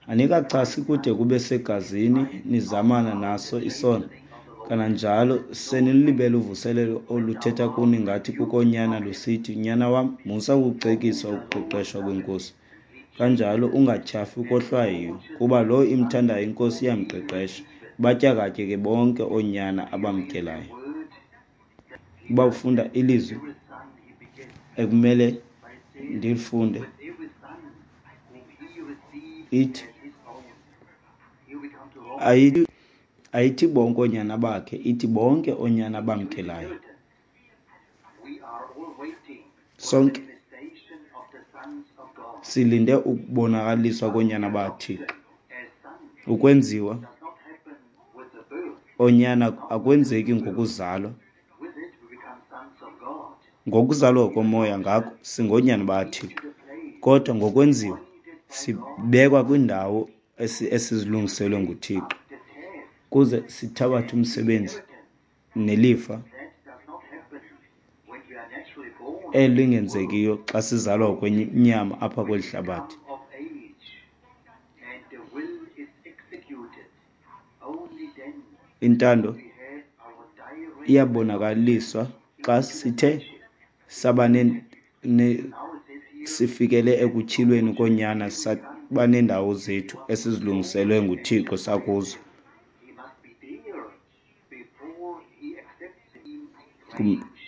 A: Anikachasi kude kube segazini nizamana naso isono, kananjalo senilibele uvuselelo oluthetha kuni ngathi kukonyana lusithi, Nyana wam, musa ukucekiswa ukuqeqeshwa kweNkosi, kanjalo ungatyhafi ukohlwayiwe, kuba lowo imthandayo iNkosi iyamqeqesha, ibatyakatye ke bonke oonyana abamkelayo. Uba ufunda ilizwi ekumele ndilifunde, ithi ayithi bonke oonyana bakhe, ithi bonke oonyana abamkelayo. Sonke silinde ukubonakaliswa koonyana bakaThixo. Ukwenziwa oonyana akwenzeki ngokuzalwa. Ngokuzalwa komoya ngako singoonyana bakaThixo, kodwa ngokwenziwa sibekwa kwindawo esizilungiselwe nguThixo kuze sithabathe umsebenzi nelifa elingenzekiyo xa sizalwa ngokwenyama apha kweli hlabathi. Intando iyabonakaliswa xa sithe saba sifikele ekutyhilweni koonyana, saba neendawo zethu esizilungiselwe nguThixo sakuzo.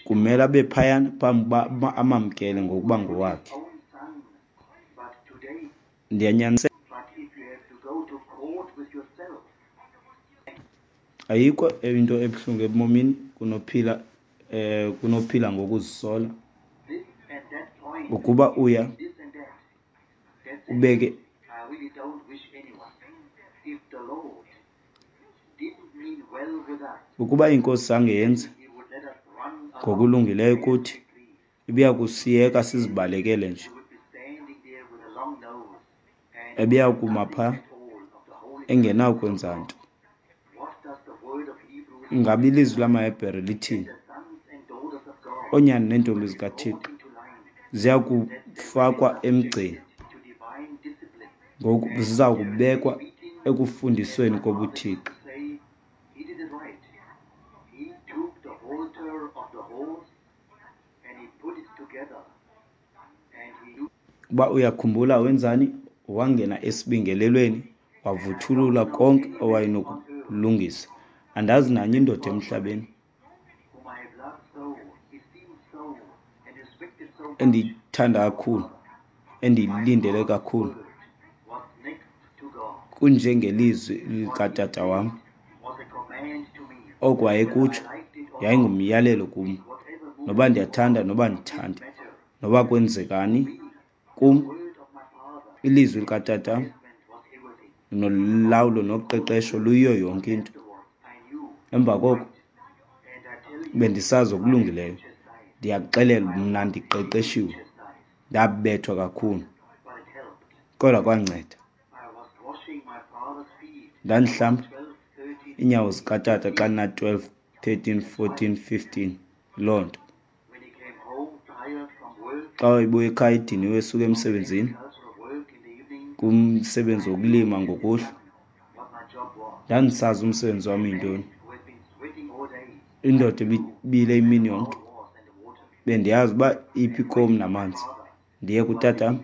A: Kumele abe phayana phambi uba amamkele ngokuba ngowakhe. Ndiyanyaniseka. Ayikho into ebuhlungu ebomini kunophila kunophila ngokuzisola. Ukuba uya ubeke ukuba iNkosi zange yenze ngokulungileyo kuthi, ibiya kusiyeka sizibalekele nje. Ebeya kuma pha engenakwenza nto. Ingaba ilizwi lamaHebhere lithini? Oonyana neentombi zikaThixo ziya kufakwa emgceni. Ngoku ziza kubekwa ekufundisweni kobuthixo. Uba uyakhumbula wenzani? Wangena esibingelelweni wavuthulula konke owayenokulungisa. Andazi nanye indoda emhlabeni endiyithanda kakhulu, endiyilindele kakhulu kunjengelizwi likatata wam. Oko wayekutsho yayingumyalelo kum, noba ndiyathanda noba andithandi, noba kwenzekani kum, ilizwi likatata nolawulo noqeqesho luyiyo yonke into. Emva koko bendisazi okulungileyo. Ndiyakuxelela mna ndiqeqeshiwe, ndabethwa kakhulu, kodwa kwanceda. Ndandihlamba iinyawo zikatata xa ndina-12, 13, 14, 15, loo nto. Xa wayebuya ekhaya ediniwe esuka emsebenzini, kumsebenzi wokulima ngokuhlwa, ndandisazi umsebenzi wam yintoni. Indoda ebibile imini yonke, bendiyazi uba iphi ikomu namanzi. Ndiye kutatam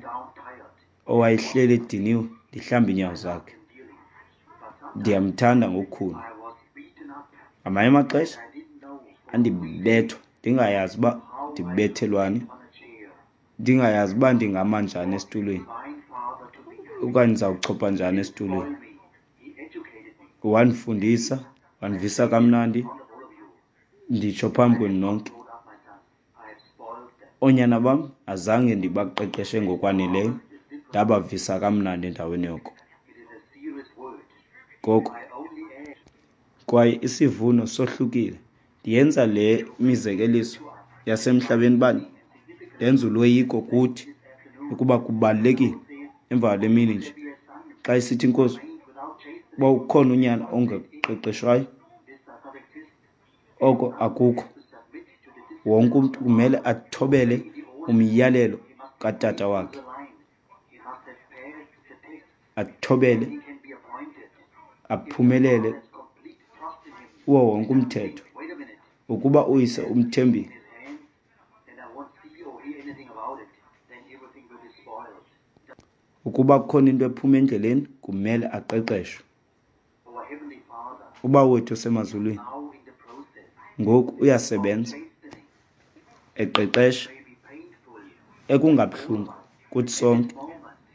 A: owayehleli ediniwe, ndihlambe iinyawo zakhe. Ndiyamthanda ngokukhulu. Ngamanye amaxesha andibethwa ndingayazi uba ndibethelwani, ndingayazi uba ndingama njani esitulweni okanye ndizawuchopha njani esitulweni. Wandifundisa, wandivisa kamnandi, nditsho phambi kwenu nonke. Oonyana bam azange ndibaqeqeshe ngokwaneleyo, ndabavisa kamnandi endaweni yoko. Ngoko kwaye isivuno sohlukile. Ndiyenza le mizekeliso yasemhlabeni uba ndenze uloyiko kuthi ukuba kubalulekile emva kwale mini nje xa isithi inkosi uba ukhona unyana ongaqeqeshwayo, oko akukho. Wonke umntu kumele athobele umyalelo katata wakhe, athobele, aphumelele kuwo wonke umthetho. Ukuba uyise umthembile, ukuba kukhona into ephuma endleleni, kumele aqeqeshwe. Ubawo wethu osemazulwini ngoku uyasebenza eqeqesha, ekungabuhlungu kuthi sonke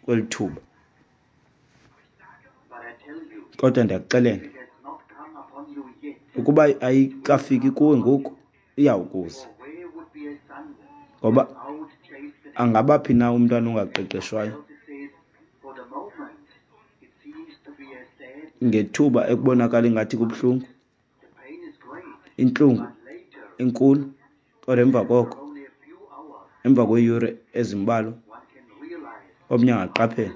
A: kweli thuba. Kodwa ndiyakuxelela, ukuba ayikafiki kuwe ngoku, iyawukuza. Ngoba angaba phi na umntwana ongaqeqeshwayo? Ngethuba ekubonakala ingathi kubuhlungu, intlungu inkulu, kodwa emva koko, emva kweeyure ezimbalwa, omnye angaqaphela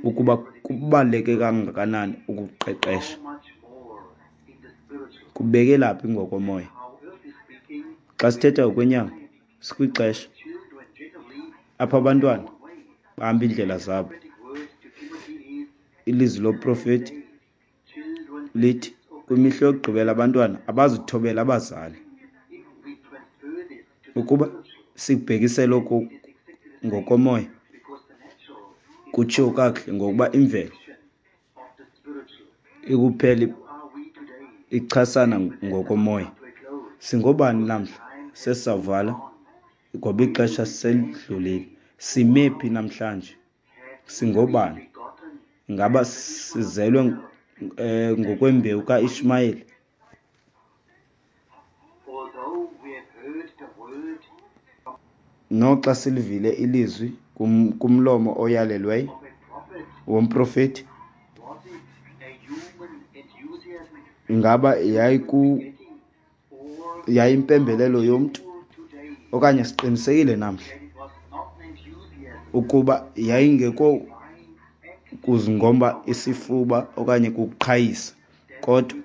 A: ukuba kubaluleke kangakanani ukuqeqesha. Kubekela phi ngokomoya? Xa sithetha ngokwenyama, sikwixesha apho abantwana bahamba iindlela zabo. Ilizwi loprofeti lithi kwimihla yokugqibela abantwana abazithobela abazali. Ukuba sikubhekisela oku ngokomoya, kutshiwo kakuhle ngokuba imvelo ikuphela ichasana ngokomoya. Singobani namhla? Sesizawuvala ngoba ixesha selidlulile. Sime phi namhlanje? Singobani? Ingaba sizelwe ngokwembewu kaIshmayeli? Noxa silivile ilizwi kumlomo oyalelweyo womprofeti, ingaba yayimpembelelo yomntu okanye siqinisekile namhla ukuba yayingeko kuzingomba isifuba okanye kukuqhayisa, kodwa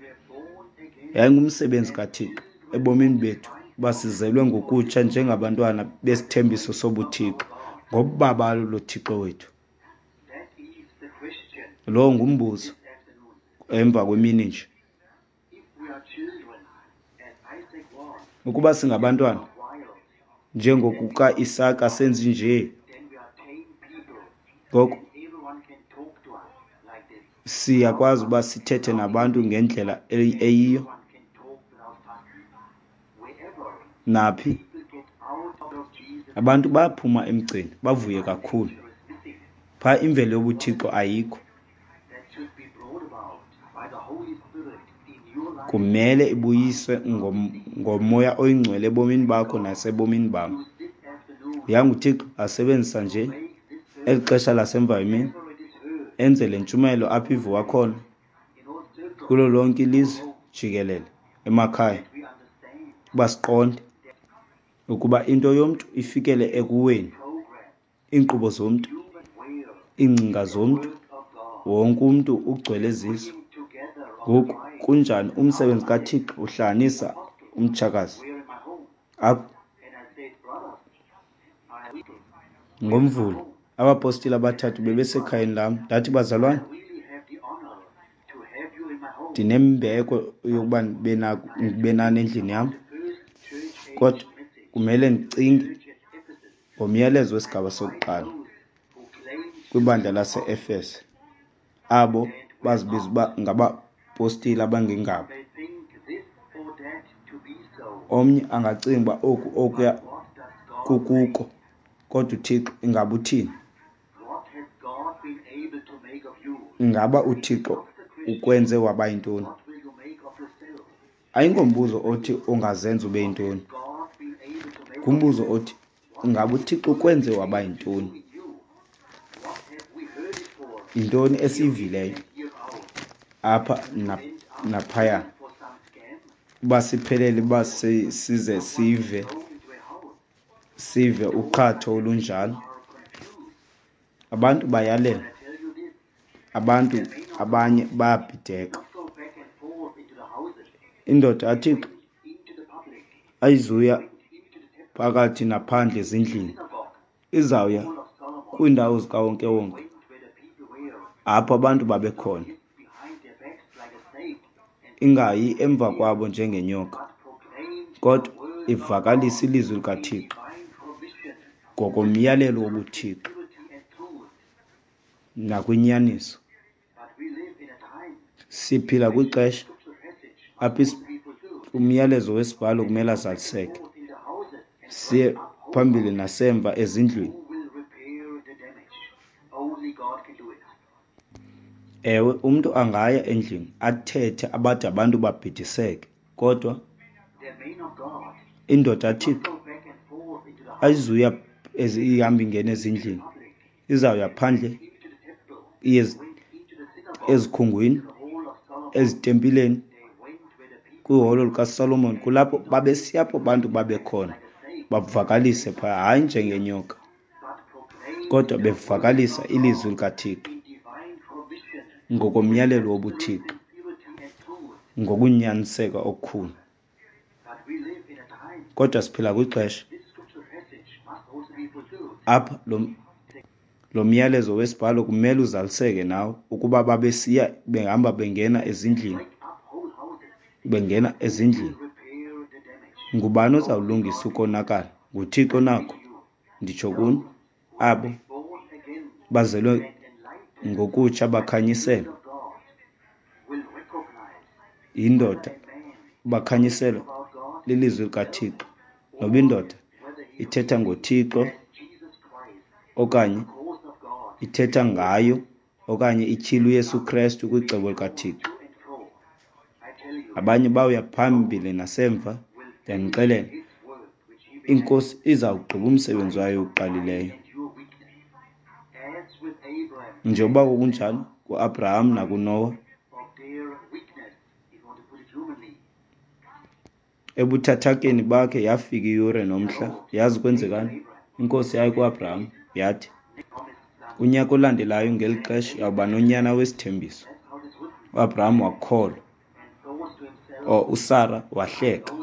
A: yayingumsebenzi kaThixo ebomini bethu uba sizelwe ngokutsha njengabantwana besithembiso sobuThixo ngobabalo loThixo wethu. Lowo ngumbuzo emva kwemini nje. Ukuba singabantwana, njengokuka-Isaka senzi nje, ngoko siyakwazi uba sithethe nabantu ngendlela eyiyo. Naphi? Abantu baphuma emgceni bavuye kakhulu. Phaa imvelo yobuthixo ayikho. Kumele ibuyiswe ngoMoya oyiNgcwele ebomini bakho nasebomini bam. YanguThixo asebenzisa nje eli xesha lasemva emini, enze le ntshumayelo apho iviwa khona kulo lonke ilizwe jikelele, emakhaya, uba siqonde ukuba into yomntu ifikele ekuweni, iinkqubo zomntu, iingcinga zomntu, wonke umntu ugcwele zizo. Ngoku kunjani umsebenzi kaThixo uhlanganisa umtshakazi apho ngoMvulo. Abapostile abathathu bebesekhayeni lam. Ndathi, bazalwane, ndinembeko yokuba ndibe nani endlini yam, kodwa kumele ndicinge ngomyalezo wesigaba sokuqala kwibandla lase-Efese, abo bazibiza uba ngabapostile abangengabo. Omnye angacinga uba oku okuya kukuko, kodwa uThixo ingaba uthini? Ingaba uThixo ukwenze waba yintoni? Ayingombuzo othi ungazenza ube yintoni. Ngumbuzo othi ingaba uThixo ukwenze waba yintoni? Yintoni esiyivileyo apha naphaya? Uba siphelele, uba size sive uqhatho olunjalo. Abantu bayalela, abantu abanye bayabhideka. Indoda kaThixo ayizuya phakathi naphandle ezindlini, izawuya kwiindawo zikawonkewonke apho abantu babekhona, ingayi emva kwabo njengenyoka, kodwa ivakalise ilizwi likaThixo ngokomyalelo wobuThixo nakwinyaniso. Siphila kwixesha apho umyalezo wesibhalo kumele azaliseke, siye phambili nasemva ezindlwini. Ewe, umntu angaya endlini athethe abade abantu babhidiseke, kodwa indoda kaThixo ayizuya ihamba ingena ezindlini, izawuya phandle iye ezikhungwini, ezitempileni, kwiholo likaSolomon. Kulapho babesiya apho abantu babekhona, bavakalise phaa, hayi njengenyoka, kodwa bevakalisa ilizwi likaThixo ngokomyalelo wobuThixo, ngokunyaniseka okukhulu. Kodwa siphila kwixesha apha lo myalezo wesibhalo kumele uzaliseke nawo, ukuba babesiya behamba bengena ezindlini, bengena ezindlini. Ngubani ozawulungisa ukonakala? NguThixo nako. Nditsho kuni, abo bazelwe ngokutsha bakhanyiselwa yindoda, bakhanyiselwa lilizwi likaThixo. Noba indoda ithetha ngoThixo okanye ithetha ngayo okanye ityhila uYesu Krestu kwicebo likaThixo. Abanye bawuya phambili nasemva, ndiyanixelela, iNkosi izawugqiba umsebenzi wayo oqalileyo. Njengoba kunjalo kuAbraham nakuNoah, ebuthathakeni bakhe yafika iyure nomhla. Yazi kwenzekani? INkosi yayi kuAbraham yathi, unyaka olandelayo ngeli xesha uyawuba nonyana wesithembiso. UAbraham wakholwa, uSara wahleka,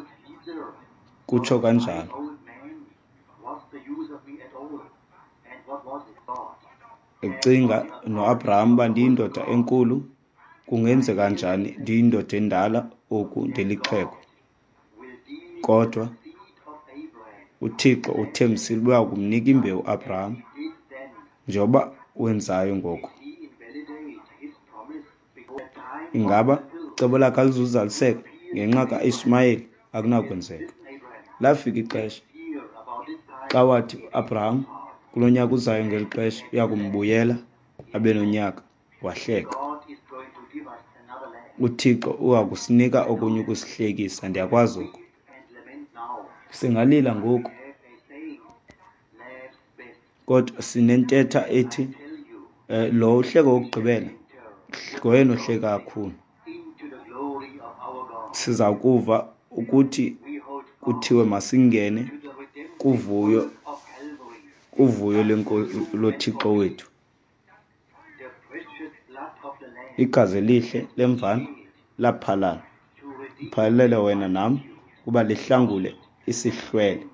A: kutsho kanjalo. Ecinga noAbraham uba ndiyindoda enkulu, kungenzeka njani ndiyindoda endala oku ndilixhego? Kodwa uThixo uthembisile uba uyakumnika imbewu uAbraham, njengoba wenzayo ngoku. Ingaba icebo lakhe alizuzaliseka ngenxa kaIshmayeli? Akunakwenzeka. Lafika ixesha xa wathi uAbraham kulo nyaka uzayo ngeli xesha uya kumbuyela abe nonyaka, wahleka. UThixo uya kusinika okunye ukusihlekisa, ndiyakwazi oko. Singalila ngoku, kodwa sinentetha ethi lo uhleko wokugqibela ngoyena ohleka kakhulu. Siza kuva ukuthi kuthiwe masingene kuvuyo, kuvuyo loThixo wethu. Igazi elihle lemvana laphalala, liphalalele wena nam kuba lihlangule isihlwele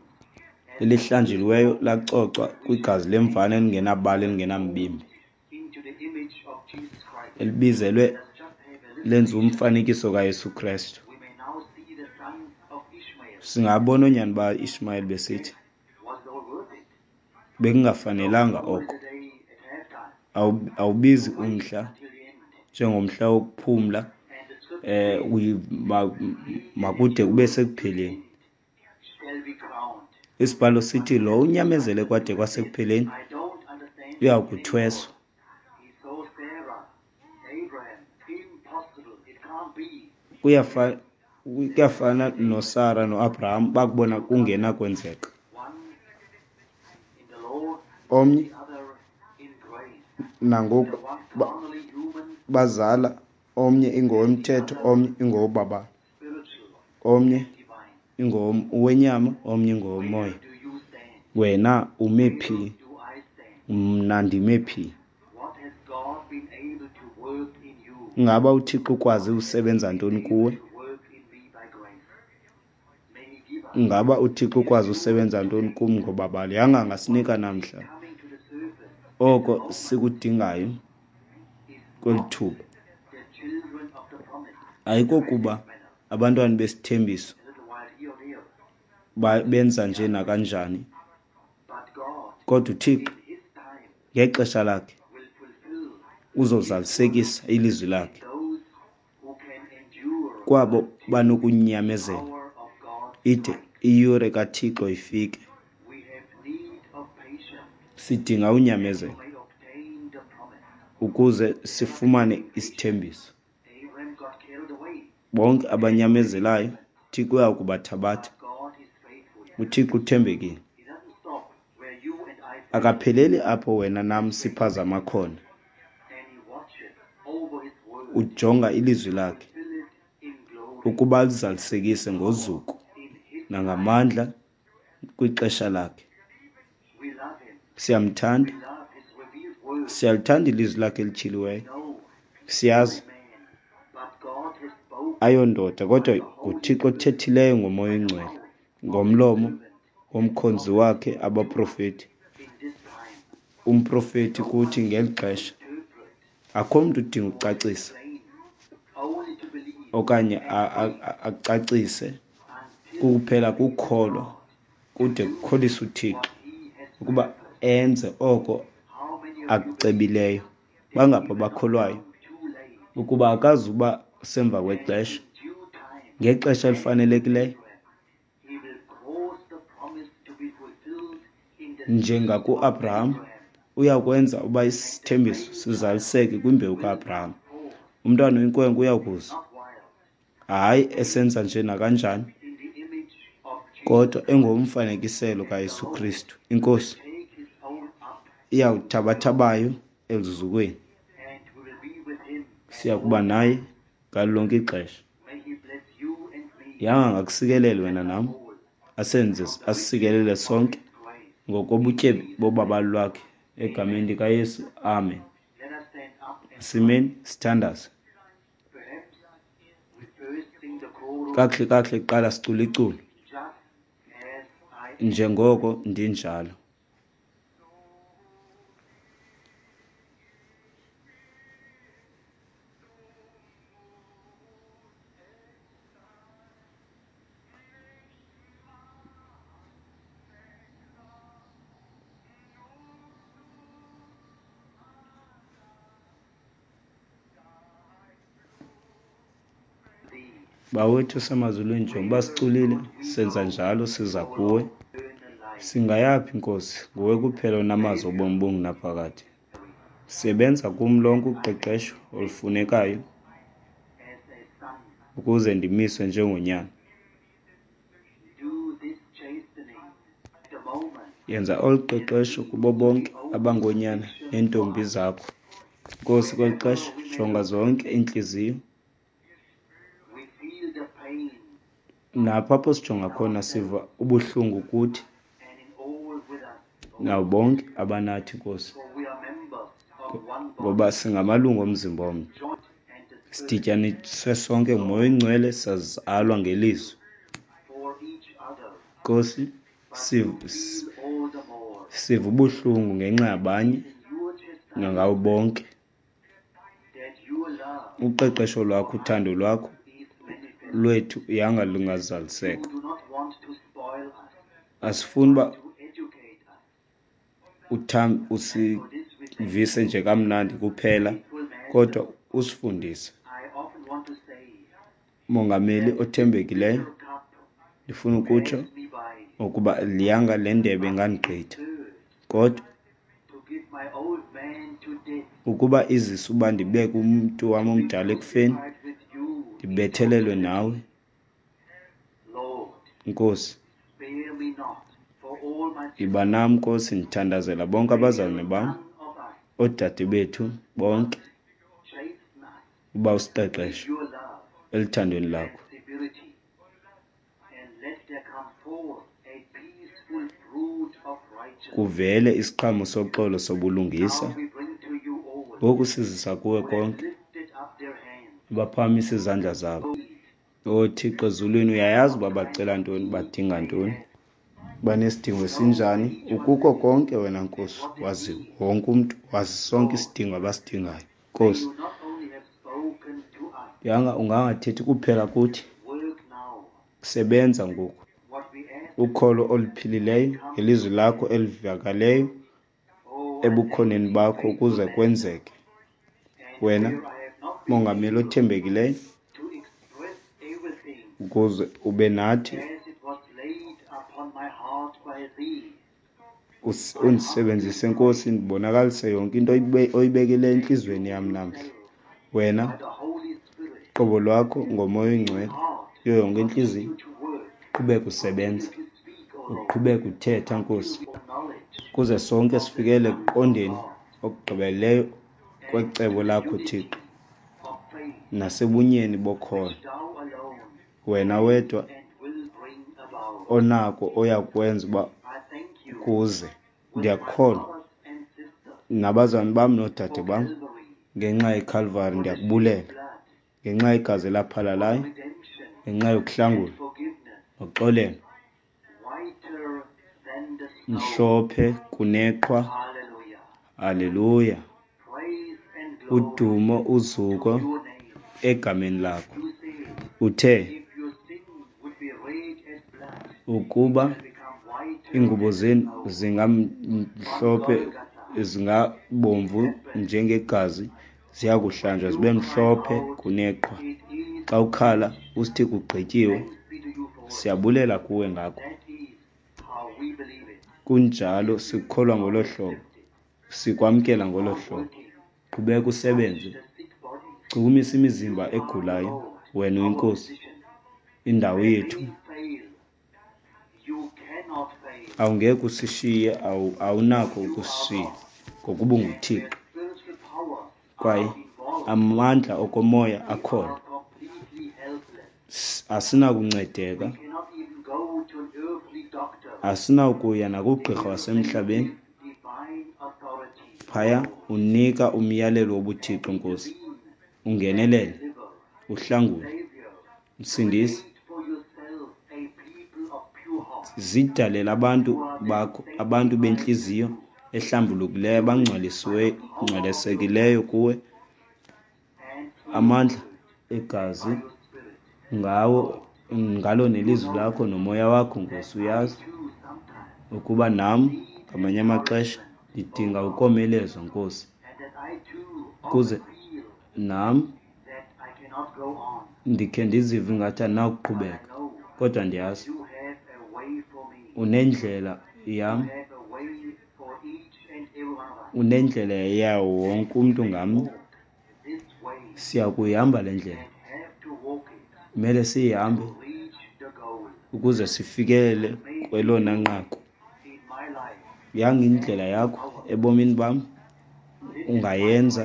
A: elihlanjiweyo lacocwa kwigazi lemvana elingenabala elingenambimbi, elibizelwe lenza umfanekiso kaYesu Kristu. Singabona oonyana ba-Ishmayeli besithi bekungafanelanga oko. Awubizi umhla njengomhla wokuphumla, makude kube sekupheleni. Isibhalo sithi lo unyamezele kwade kwasekupheleni uya kuthweswa. Kuyafana noSara noAbraham bakubona kungenakwenzeka. Omnye nangoku bazala, omnye ingowomthetho, omnye ingowobabalo, omnye ingowenyama, omnye ingowomoya. Wena ume phi? Mna ndime phi? Ingaba uThixo ukwazi usebenza ntoni kuwe? Ingaba uThixo ukwazi usebenza ntoni kum ngobabalo? Yanga angasinika namhla oko sikudingayo kweli thuba. Ayikokuba abantwana besithembiso benza nje nakanjani, kodwa uThixo ngexesha lakhe uzozalisekisa ilizwi lakhe kwabo banokunyamezela ide iyure kaThixo ifike. Sidinga unyamezelo ukuze sifumane isithembiso. Bonke abanyamezelayo uThixo uya kubathabatha. UThixo uthembekile, akapheleli apho wena nam siphazama khona. Ujonga ilizwi lakhe ukuba lizalisekise ngozuko nangamandla kwixesha lakhe. Siyamthanda, siyalithanda ilizwi lakhe elityhiliweyo. Siyazi ayondoda, kodwa nguThixo othethileyo ngoMoya oNgcwele ngomlomo womkhonzi wakhe abaprofeti. Umprofeti kuthi ngeli xesha akho mntu udinga ukucacisa okanye acacise, kuphela kukholwa kude kukholise uThixo ukuba enze oko akucebileyo. Bangaphi abakholwayo ukuba akazuba semva kwexesha, ngexesha elifanelekileyo, njengakuAbraham uyakwenza uba isithembiso sizaliseke kwimbewu kaAbraham. Umntwana oyinkwenkwe uyakuza, hayi esenza nje nakanjani, kodwa engomfanekiselo kaYesu Kristu. INkosi iyawuthabatha bayo eluzukweni, siya kuba naye ngalo lonke ixesha. Yanga angakusikelele wena nam, asenze asisikelele sonke ngokobutyebi bobabalo lwakhe, egameni likaYesu, amen. Simeni sithandaze. Kakuhle kakuhle kuqala sicula iculo njengoko ndinjalo. Bawethu osemazulwini, njengoba siculile, senza njalo, siza kuwe. Singayaphi, Nkosi? Nguwe kuphela onamazwi obomi obungunaphakade. Sebenza kum lonke uqeqesho olufunekayo ukuze ndimiswe njengonyana. Yenza olu qeqesho kubo bonke abangoonyana neentombi zakho. Nkosi, kweli xesha, jonga zonke iintliziyo. Napho apho sijonga khona siva ubuhlungu kuthi nabo bonke abanathi, Nkosi, ngoba singamalungu omzimba omnye. Sidityaniswe sonke nguMoya oyiNgcwele, sazalwa ngelizwi. Nkosi, siva ubuhlungu ngenxa yabanye nangabo bonke. Uqeqesho lwakho, uthando lwakho lwethu yanga lungazaliseka. Asifuni uba usivise nje kamnandi kuphela, kodwa usifundise. Mongameli othembekileyo, ndifuna ukutsho ukuba liyanga le ndebe ingandigqitha, kodwa ukuba izise uba ndibeke umntu wam omdala ekufeni, ndibethelelwe nawe, Nkosi. Yiba nam, Nkosi, ndithandazela bonke abazalwane bam, oodade bethu bonke, uba usiqeqeshe eluthandweni lakho. Kuvele isiqhamo soxolo sobulungisa. Ngoku sizisa kuwe konke abaphakamisa izandla zabo. O Thixo ezulwini, uyayazi uba bacela ntoni, badinga ntoni, banesidingo esinjani. Ukuko konke wena, Nkosi, wazi wonke umntu, wazi sonke isidingo abasidingayo. Nkosi, yanga ungangathethi kuphela kuthi, sebenza ngoku. Ukholo oluphilileyo ngelizwi lakho elivakaleyo ebukhoneni bakho ukuze kwenzeke. Wena, Mongameli othembekileyo, ukuze ube nathi, undisebenzise, Nkosi, ndibonakalise yonke into oyibekileyo entliziyweni yam namhla. Wena, qobo lwakho ngoMoya oyiNgcwele, kuyo yonke intliziyo, uqhubeke usebenza, uqhubeke uthetha, Nkosi, ukuze sonke sifikele ekuqondeni okugqibeleleyo kwecebo lakho, Thixo, nasebunyeni bokholo. Wena wedwa onako oyakwenza uba kuze. Ndiyakukholwa nabazalwane bam noodade bam ngenxa yeKhalvari, ndiyakubulela ngenxa yegazi elaphalalayo, ngenxa yokuhlangula noxolelo, mhlophe kuneqhwa. Haleluya. Udumo, uzuko egameni lakho. Uthe ukuba iingubo zenu zingamhlophe, zingabomvu njengegazi, ziya kuhlanjwa zibe mhlophe kuneqhwa. Xa ukhala usithi kugqityiwe, siyabulela kuwe ngako. Kunjalo, sikukholwa ngolo hlobo, sikwamkela ngolo hlobo. Qhubeka usebenze, chukumisa imizimba egulayo. Wena uyiNkosi, indawo yethu. Awungeke usishiye, awunako ukusishiya, ngokuba unguThixo. Kwaye amandla okomoya akhona. Asinakuncedeka, asinawukuya nakugqirha wasemhlabeni. Phaya unika umyalelo wobuThixo, Nkosi. Ungenelele, uhlangule, Msindisi. Zidalela abantu bakho, abantu bentliziyo ehlambulukileyo, abangcwalisiweyo, ngcwalisekileyo kuwe. Amandla egazi ngawo, ngalo nelizwi lakho nomoya wakho, Nkosi. Uyazi ukuba nam ngamanye amaxesha ndidinga ukomelezwa, Nkosi, ukuze nam Ndikhe ndizive ingathi andinakuqhubeka, kodwa ndiyazi unendlela yam, unendlela yawo wonke umntu ngamnye. Siya kuyihamba le ndlela, kumele siyihambe ukuze sifikelele kwelona nqaku. Yangindlela yakho ebomini bam, ungayenza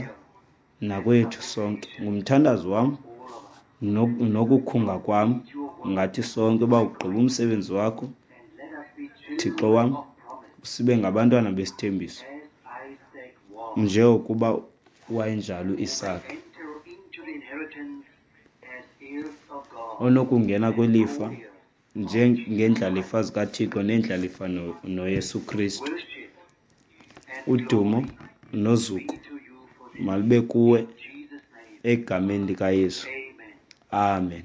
A: nakwethu sonke. Ngumthandazo wam nokukhunga kwam ngathi sonke uba ugqiba umsebenzi wakho, Thixo wam, sibe ngabantwana besithembiso njengokuba wayenjalo uIsake, onokungena kwilifa njengeendlalifa zikaThixo neendlalifa noYesu Kristu. Udumo nozuko malube kuwe egameni likaYesu. Amen.